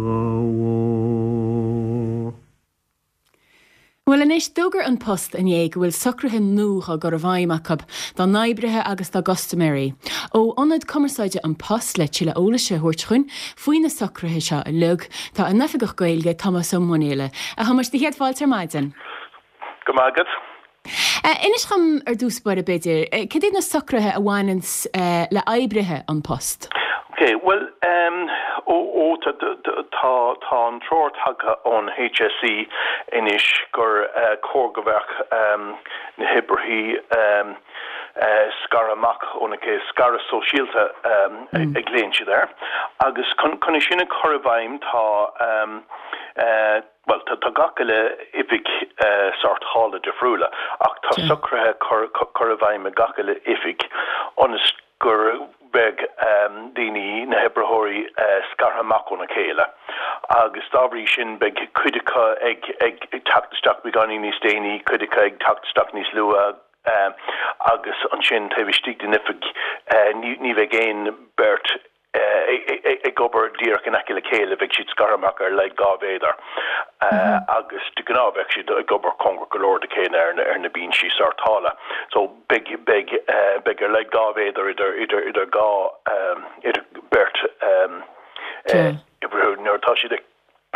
ghabháil. Bhuel anois, d'fhógair An Post inné go bhfuil socruithe nua á gcur i bhfeidhm acu dá n-oibrithe agus dá gcustaiméirí. Ó Ionad Cumarsáide An Post le tuilleadh eolais a thabhairt chugainn faoi na socruithe seo uilig, tá a n-oifigeach Gaeilge, Tomás Ó Munghaile. A Thomáis, do chéad fáilte ar maidin. Go raibh maith agat. Inis dhom ar dtús báire b'fhéidir, cad iad na socruithe a bhaineanns le oibrithe An Post? Ok, bhuel ehm ó ó tá tá tá an treoir tagtha ón HSE anois gur chóir go mbeadh ehm na hoibrithe ehm scartha amach óna chéile, scaradh sóisialta ehm a ghlaonn siad air agus chun chun é sin a chur i bhfeidhm tá ehm eh Bhuel, tá gach uile oifig sórt scála difriúla, ach tá socruithe curtha i bhfeidhm ag gach uile oifig ionas gur bheadh daoine, na hoibritheoirí, scartha amach óna chéile agus dá bhrí sin beidh cuid acu ag teacht isteach beagáinín níos déanaí, cuid acu ag teacht isteach níos luaithe. Agus ansin taobh istigh den oifig ní bheidh aon beirt ag obair díreach in aice le chéile, bheadh siad scartha amach ar a laghad 2 mhéadar agus de ghnáth bheadh siad ag obair cóngarach go leor dá chéile ar na binsí sórtála. So beidh, beidh, beidh ar a laghad 2 mhéadar idir, idir, idir dhá, idir beirt oibrithe nuair atá siad ag.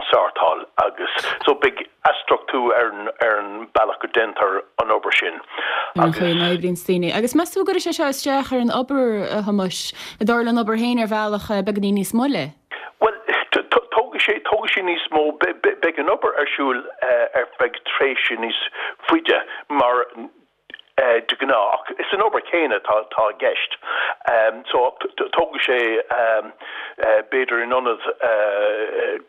sórtáil agus so beidh athstruchtú ar an ar an bealach go déantar an obair sin Ar an chaoi a n-oibríonn daoine. Agus meas tú an gcuirfidh sé seo isteach ar an obair, a Thomáis? An dtarlóidh an obair féin ar bhealach beagáinín níos moille? Bhuel, tógfaidh sé, tógfaidh sé níos mó, beidh an obair ar siúl ar feadh tréimhse níos faide mar de ghnáth, ach is an obair chéanna atá i gceist. So tógfaidh sé, b'fhéidir in ionad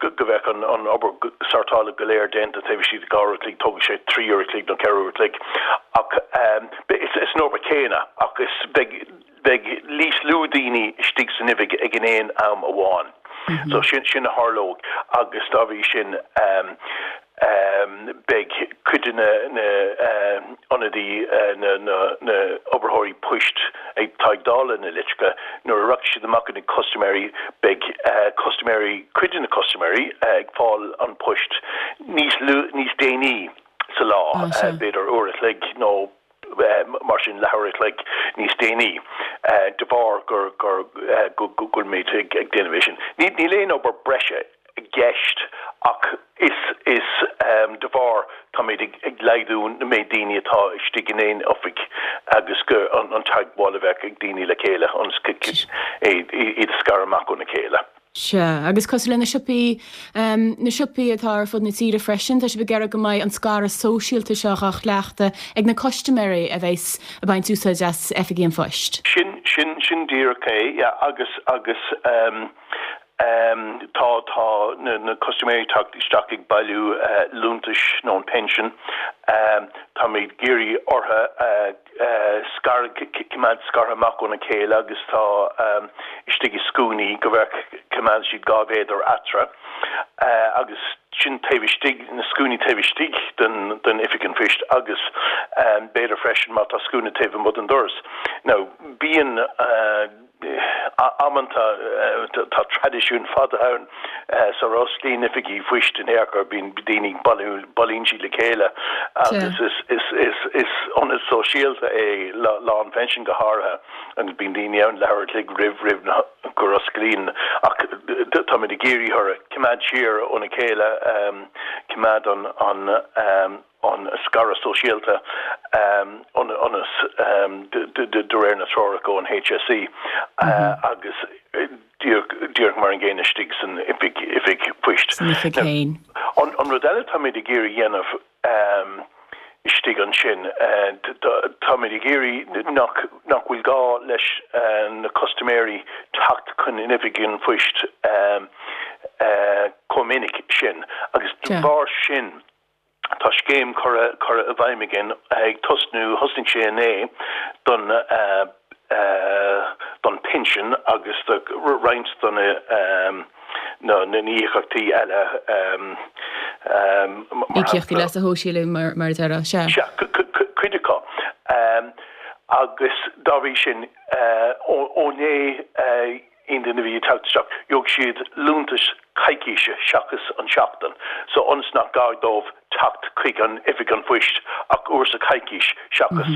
go mbeadh an obair sórtála go léir déanta taobh istigh de 2 uair a chloig, tógfaidh sé 3 uair a chloig nó 4 uair a chloig. Ach is an obair chéanna ach is beidh beidh níos lú daoine istigh san oifig ag an aon am amháin. So sin sin a tharlóidh agus dá bhrí sin beidh cuid de na na ionadaí na na na oibritheoirí poist atá ag dáileadh na litreacha nuair a rachaidh siad amach go na custaiméirí beidh custaiméirí cuid de na custaiméirí ag fáil an poist níos lú níos déanaí sa lá b'fhéidir uair a chloig nó mar sin leathuair a chloig níos déanaí de bharr gur gur go bhfuilimid ag déanamh é sin. Níl aon obair breise i gceist ach is is de bharr táimid ag laghdú na méid daoine atá istigh in aon oifig agus go an teagmháil a bheadh ag daoine le chéile ionas iad a scaradh amach óna chéile. Sea, agus cosúil le na siopaí, na siopaí atá ar fud na tíre freisin, tá sibh ag iarraidh go mbeidh an scaradh sóisialta seo á chleachtadh ag na custaiméirí a bheas ag baint úsáid as oifigí an phoist. Sin, sin, sin díreach é, yeah, agus, agus ehm, ehm, tá, tá na, na custaiméirí ag teacht isteach ag bailiú eh, liúntais nó an pension, ehm, táimid ag iarraidh orthu eh, scaradh, coimeád scartha amach óna chéile agus tá istigh i scuainí go bheadh, coimeád siad 2 mhéadar eatarthu agus sin taobh istigh, na scuainí taobh istigh den, den oifig an phoist agus b'fhéidir freisin má tá scuaine taobh amuigh den doras. Now bíonn. Amanta, tá traidisiún fada ann sar osclaíonn oifigí phoist in aon chor, bíonn daoine ag bailiú, bailíonn siad le chéile agus is ionad sóisialta é Lá an Phinsin go háirithe agus bíonn daoine ann leathuair a chloig roimh roimh gur osclaíonn ach táimid ag iarraidh orthu coimeád siar óna chéile, coimeád an. an scaradh sóisialta ionas de réir na treorach ón HSE agus díreach mar an gcéanna istigh san oifig oifig poist. San oifig féin. An rud eile táimid ag iarraidh dhéanamh istigh ansin, táimid ag iarraidh nach nach bhfuil gá leis na custaiméirí teacht chun an oifig an phoist chomh minic sin agus de bharr sin Tá scéim curtha curtha i bhfeidhm againn ag tosnú, thosnaigh sé inné, don don pinsean agus do roinnt de na na n-íocaíochtaí eile mar Íocaíochtaí leasa shóisialaigh mar mar a déarfá, sea. Sea, cuid acu. Agus dá bhrí sin, ó inné, Aon duine a bhí ag teacht isteach, gheobhaidh siad liúntas coicíse seachas an seachtain, so ionas nach gá dóibh teacht chuig an oifig an phoist ach uair sa choicís seachas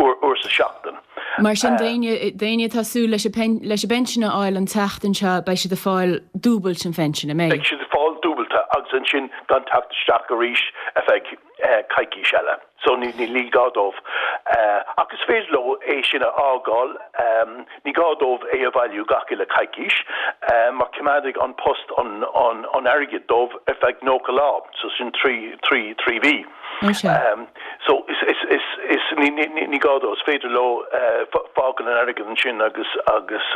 uair sa seachtain. Mar sin, d'éinne atá ag súil leis an leis an bpension a fháil an tseachtain seo, beidh siad ag fáil dúbailt an phensin, an mbeidh? Beidh siad ag fáil dúbailte agus ansin gan teacht isteach arís ar feadh coicís eile. So ní ní gá dóibh. Ach is féidir leo é sin a fhágáil, ní gá dóibh é a bhailiú gach uile coicís, mar coimeádfaidh An Post an an airgead dóibh ar feadh 90 lá, so sin 3 3 3 mhí. So is is is is ní ní ní gá dóibh, is féidir leo fágáil an airgead ansin agus agus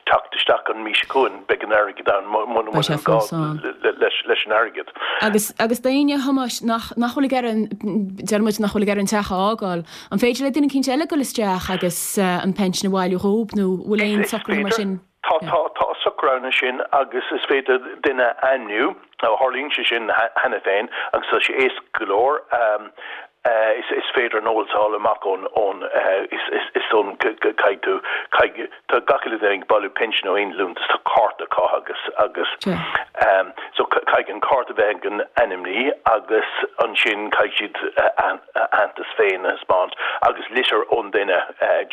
teacht isteach an mhí seo chugainn, beidh an airgead ann muna bhfuil gá leis leis an airgead. Agus, agus d'éinne, a Thomáis, nach, nach bhfuil ag iarraidh an, deir muid nach bhfuil ag iarraidh an teach a fhágáil, an féidir le duine eicínt eile dul isteach agus an pension a bhailiú dhób nó bhfuil aon socruithe mar sin? Tá, tá, tá socrú ann ansin agus is féidir duine a ainmniú, nó tharlaíonn sé sin cheana féin agus tá sé éasca go leor. Is féidir an eolas a fháil amach ón, ón, is, is ón, caithfidh tú, caithfidh, tá gach uile duine ag bailiú pinsean nó aon liúntas, tá cárta acu agus, agus so caithfidh an cárta bheith ag an ainmní agus ansin caithfidh siad a aitheantas féin a thaispeáint agus litir ón duine,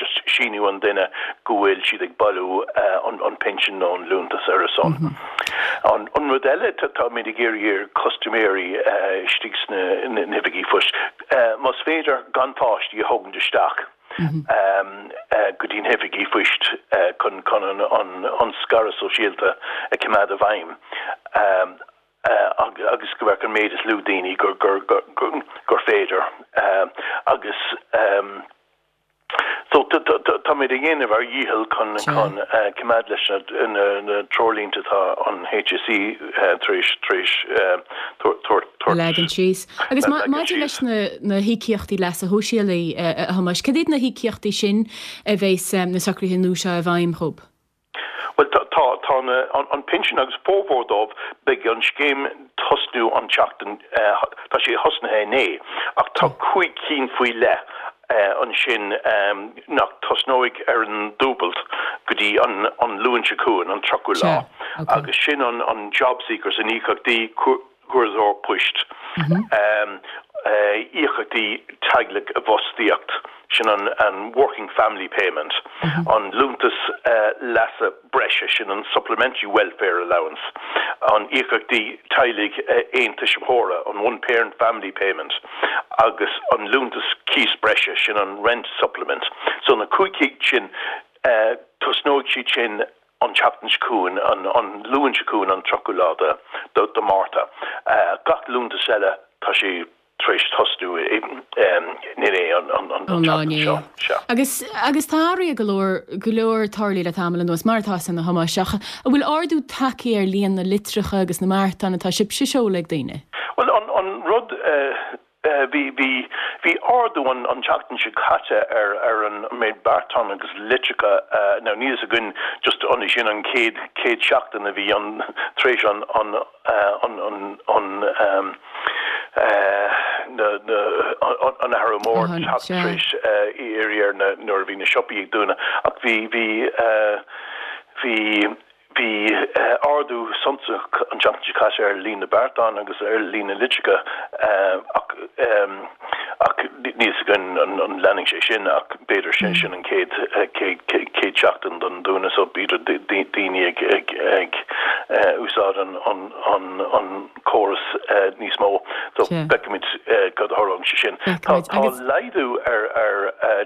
just síniú an duine go bhfuil siad ag bailiú an, an pinsean nó an liúntas ar a son. An rud eile, táimid ag iarraidh ar chustaiméirí istigh sna hoifigí phoist, más féidir gan páistí a thógaint isteach go dtí na hoifigí phoist chun an scaradh sóisialta a choimeád i bhfeidhm agus go mbeadh an méid is lú daoine gur féidir agus. So táimid ag déanamh ár dhícheall chun coimeád leis na treoirlínte atá an HSE tar éis tabhairt. A leagan síos. Agus maidir leis na híocaíochtaí leasa shóisialaigh, a Thomáis, cad iad na híocaíochtaí sin a bheas na socruithe nua seo i bhfeidhm dhóibh? Bhuel, tá, tá na, an pinsean agus formhór dóibh, beidh an scéim tosnú an tseachtain, tá sé thosnaithe inné, ach tá 5 cinn faoi leith ansin nach tosnóidh ar an dúbailt go dtí an an Luan seo chugainn, an 30ú lá, agus sin an an Jobseekers, an íocaíochtaí cuardaitheoir poist, íocaíochtaí teaghlaigh i bhfostaíocht, sin an Working Family Payment, an liúntas leasa breise, sin an Supplementary Welfare Allowance, an íocaíochtaí teaghlaigh aontuismitheora, an One Parent Family Payment, agus an liúntas cíos breise, sin an Rent Supplement. So na 5 cinn sin, tosnóidh siad sin an tseachtain seo chugainn, an Luan seo chugainn, an 30ú lá de Mhárta. Gach liúntas eile, tá sé tar éis tosnú inné, an tseachtain seo. Sea. Agus, agus tá athruithe go leor, go leor tarlaithe le tamall anuas, mar atá san, a Thomáis, ach an bhfuil ardú tagtha ar líon na litreacha agus na mbeartán atá sibhse a seoladh ag daoine? Bhuel, an, an rud, Bhí, bhí, bhí ardú an, an tseachtain seo caite ar, ar an méid beartán agus litreacha, now níl fhios againn just an é sin an chéad, chéad seachtain a bhí an, tar éis an, an, an, an, an, na, na, an athrú mór teacht tar éis éirí ar na, nuair a bhí na siopaí ag dúnadh ach bhí, bhí, bhí, Bhí ardú suntasach an tseachtain seo caite ar líon na beartán agus ar líon na litreacha ach ach níl fhios againn an leanfaidh sé sin ach b'fhéidir sin sin an chéad chéad seachtain don dúnadh so b'fhéidir daoine ag ag ag úsáid an an an an córas níos mó so feicfimid cad a tharlóidh sé sin. Tá tá laghdú ar ar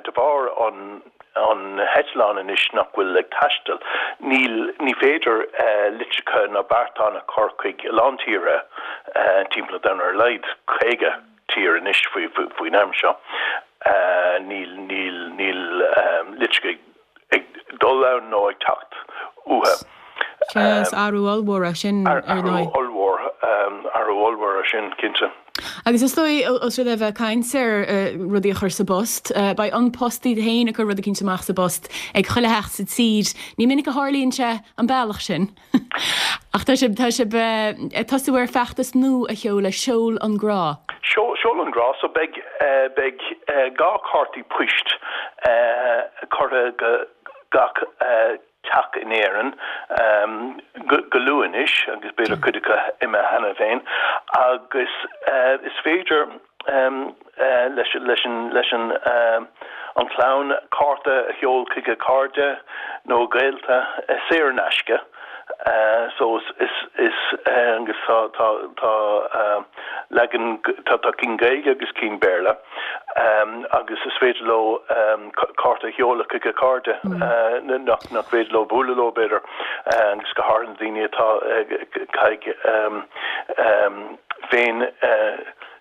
de bharr an an heitleán anois nach bhfuil ag taisteal. Níl, ní féidir litreacha ná beartáin a chur chuig a lán tíortha timpeall an domhain, ar a laghad 50 tír anois faoin am seo. Níl, níl, níl litreacha ag dul ann nó ag teacht uathu. Sea, is athrú ollmhór é sin, ar ndóigh. Athrú ollmhór, athrú ollmhór é sin, cinnte. Agus is dóigh, os rud é bheith ag caint ar rudaí a chur sa bpost, beidh An Post iad féin ag cur rud eicínt amach sa bpost ag chuile theach sa tír. Ní minic a tharlaíonn sé an bealach sin. Ach tá sibh, tá sibh ag tosú ar feachtas nua a sheoladh, Seol an Grá. Seol an Grá, so beidh, beidh 2 cártaí poist curtha go gach teach in Éirinn go luath anois, agus b'fhéidir cuid acu imithe cheana féin, agus is féidir leis leis an an chlann cárta a sheol chuig a cairde nó a gaolta saor in aisce. So is is agus tá tá tá leagan tá tá cinn Gaeilge agus cinn Béarla agus is féidir leo cárta a sheoladh chuig a cairde nach nach féidir leo bualadh leo b'fhéidir agus go háirithe na daoine atá ag féin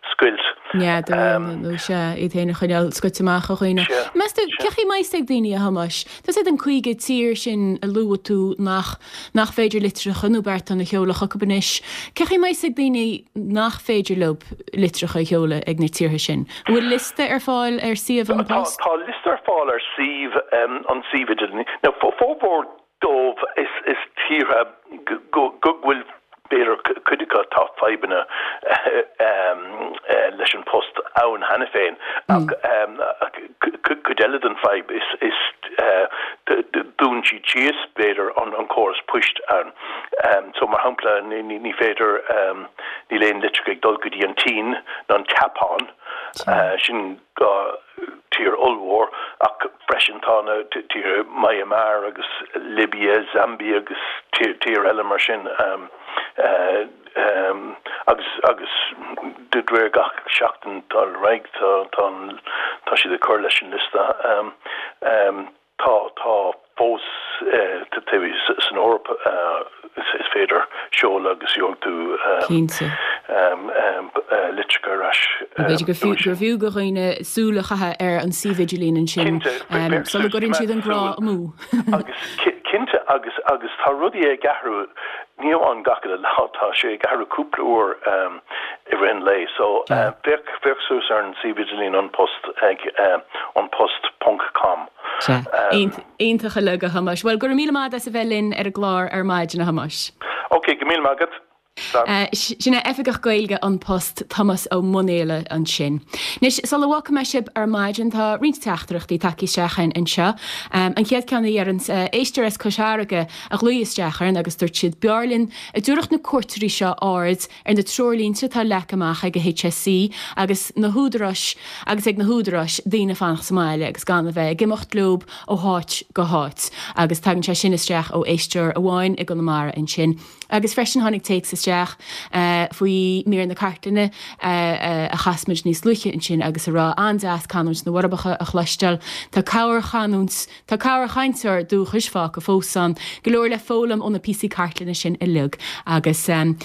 scoilt. Neadú nó sea, iad féin a choinneáil scoite amach ó dhaoine. Meas tú, cén chaoi a mbeidh a fhios ag daoine, a Thomáis? Tá siad an 50 tír sin a luaigh tú nach nach féidir litreacha nó beartáin a sheoladh chucu anois. Cén chaoi a mbeidh a fhios ag daoine nach féidir leo litreacha a sheoladh ag na tíortha sin? An bhfuil liosta ar fáil ar suíomh An Post? Tá liosta ar fáil ar suíomh an suíomh idirlín. Now formhór dóibh is tíortha go bhfuil b'fhéidir cuid acu tá fadhbanna leis an post ann cheana féin. síos, b'fhéidir, an córas poist ann. So, mar shampla, ní féidir, níl aon litreacha ag dul go dtí an tSín ná an tSeapáin, sin tír ollmhór, ach freisin tá na tíortha Myanmar agus Libia, Zambia agus tír eile mar sin. Agus agus de réir gach seachtain tá ar aghaidh tá tá tá siad ag cur leis an liosta. Tá tá fós san Eoraip is féidir seoladh agus gheobhaidh tú Cinnte. litreacha ar ais. B'fhéidir gur fiú gur fiú do dhaoine súil a chaitheamh ar an suíomh idirlín ansin Cinnte, sula gcuireann siad an grá amú. Agus cinnte agus agus tá rudaí ag athrú ní amháin gach uile lá tá sé ag athrú cúpla uair i rith an lae so féach féach suas ar an suíomh idirlín An Post ag anpost ponc com. Sea. Iontach uilig a Thomáis. Bhuel go raibh míle maith agat as a bheith linn ar an gclár ar maidin a Thomáis. Ok, go míle maith agat. Sin é Oifigeach Gaeilge An Post, Tomás Ó Munghaile ansin. Anois, sula bhfágfaidh mé sibh ar maidin, tá roinnt teachtaireachtaí tagtha isteach chugainn anseo. An chéad ceann a dheireann éisteoir as Cois Fharraige a ghlaoigh isteach orainn agus dúirt siad, B'fhearr linn a dtabharfadh na cuairteoirí seo aird ar na treoirlínte atá leagtha amach ag an HSE agus na húdaráis agus ag na húdaráis daoine fanacht sa mbaile agus gan a bheith ag imeacht leob ó háit go háit. Agus tagann sé sin isteach ó éisteoir amháin i gConamara ansin. Agus freisin tháinig téacs isteach faoi mír na cartlainne a chas muid níos luaithe ansin agus a rá, an-deas canúint na bhForbacha a chloisteáil. Tá corr-chanúint, tá corr-chainteoir dúchais fágtha fós ann. Go leor le foghlaim ó na píosaí cartlainne sin uilig. Agus an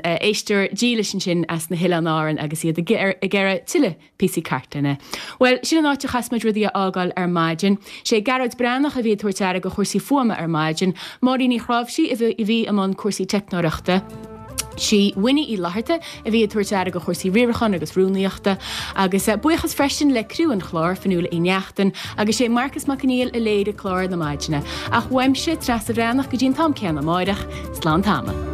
éisteoir dílis ansin as na hOileáin Árann agus iad ag iarraidh tuilleadh píosaí cartlainne. Bhuel, sin an áit a chaithfeas muid rudaí a fhágáil ar maidin. Sé Gearóid Breathnach a bhí ag tabhairt aire do chúrsaí fuaime ar maidin, Máirín Ní Chráimhsí a bhí i mbun cúrsaí teicneoireachta, sí Winnie Uí Fhlatharta a bhí ag tabhairt aire do chúrsaí riaracháin agus rúnaíochta, agus buíochas freisin le criú an chláir, Fionnuala Uí Neachtain, agus sé Marcas Mac Conghail a léirigh clár na maidine. Ach uaimse, Treasa Bhreathnach, go dtí an t-am céanna amáireach, slán tamall.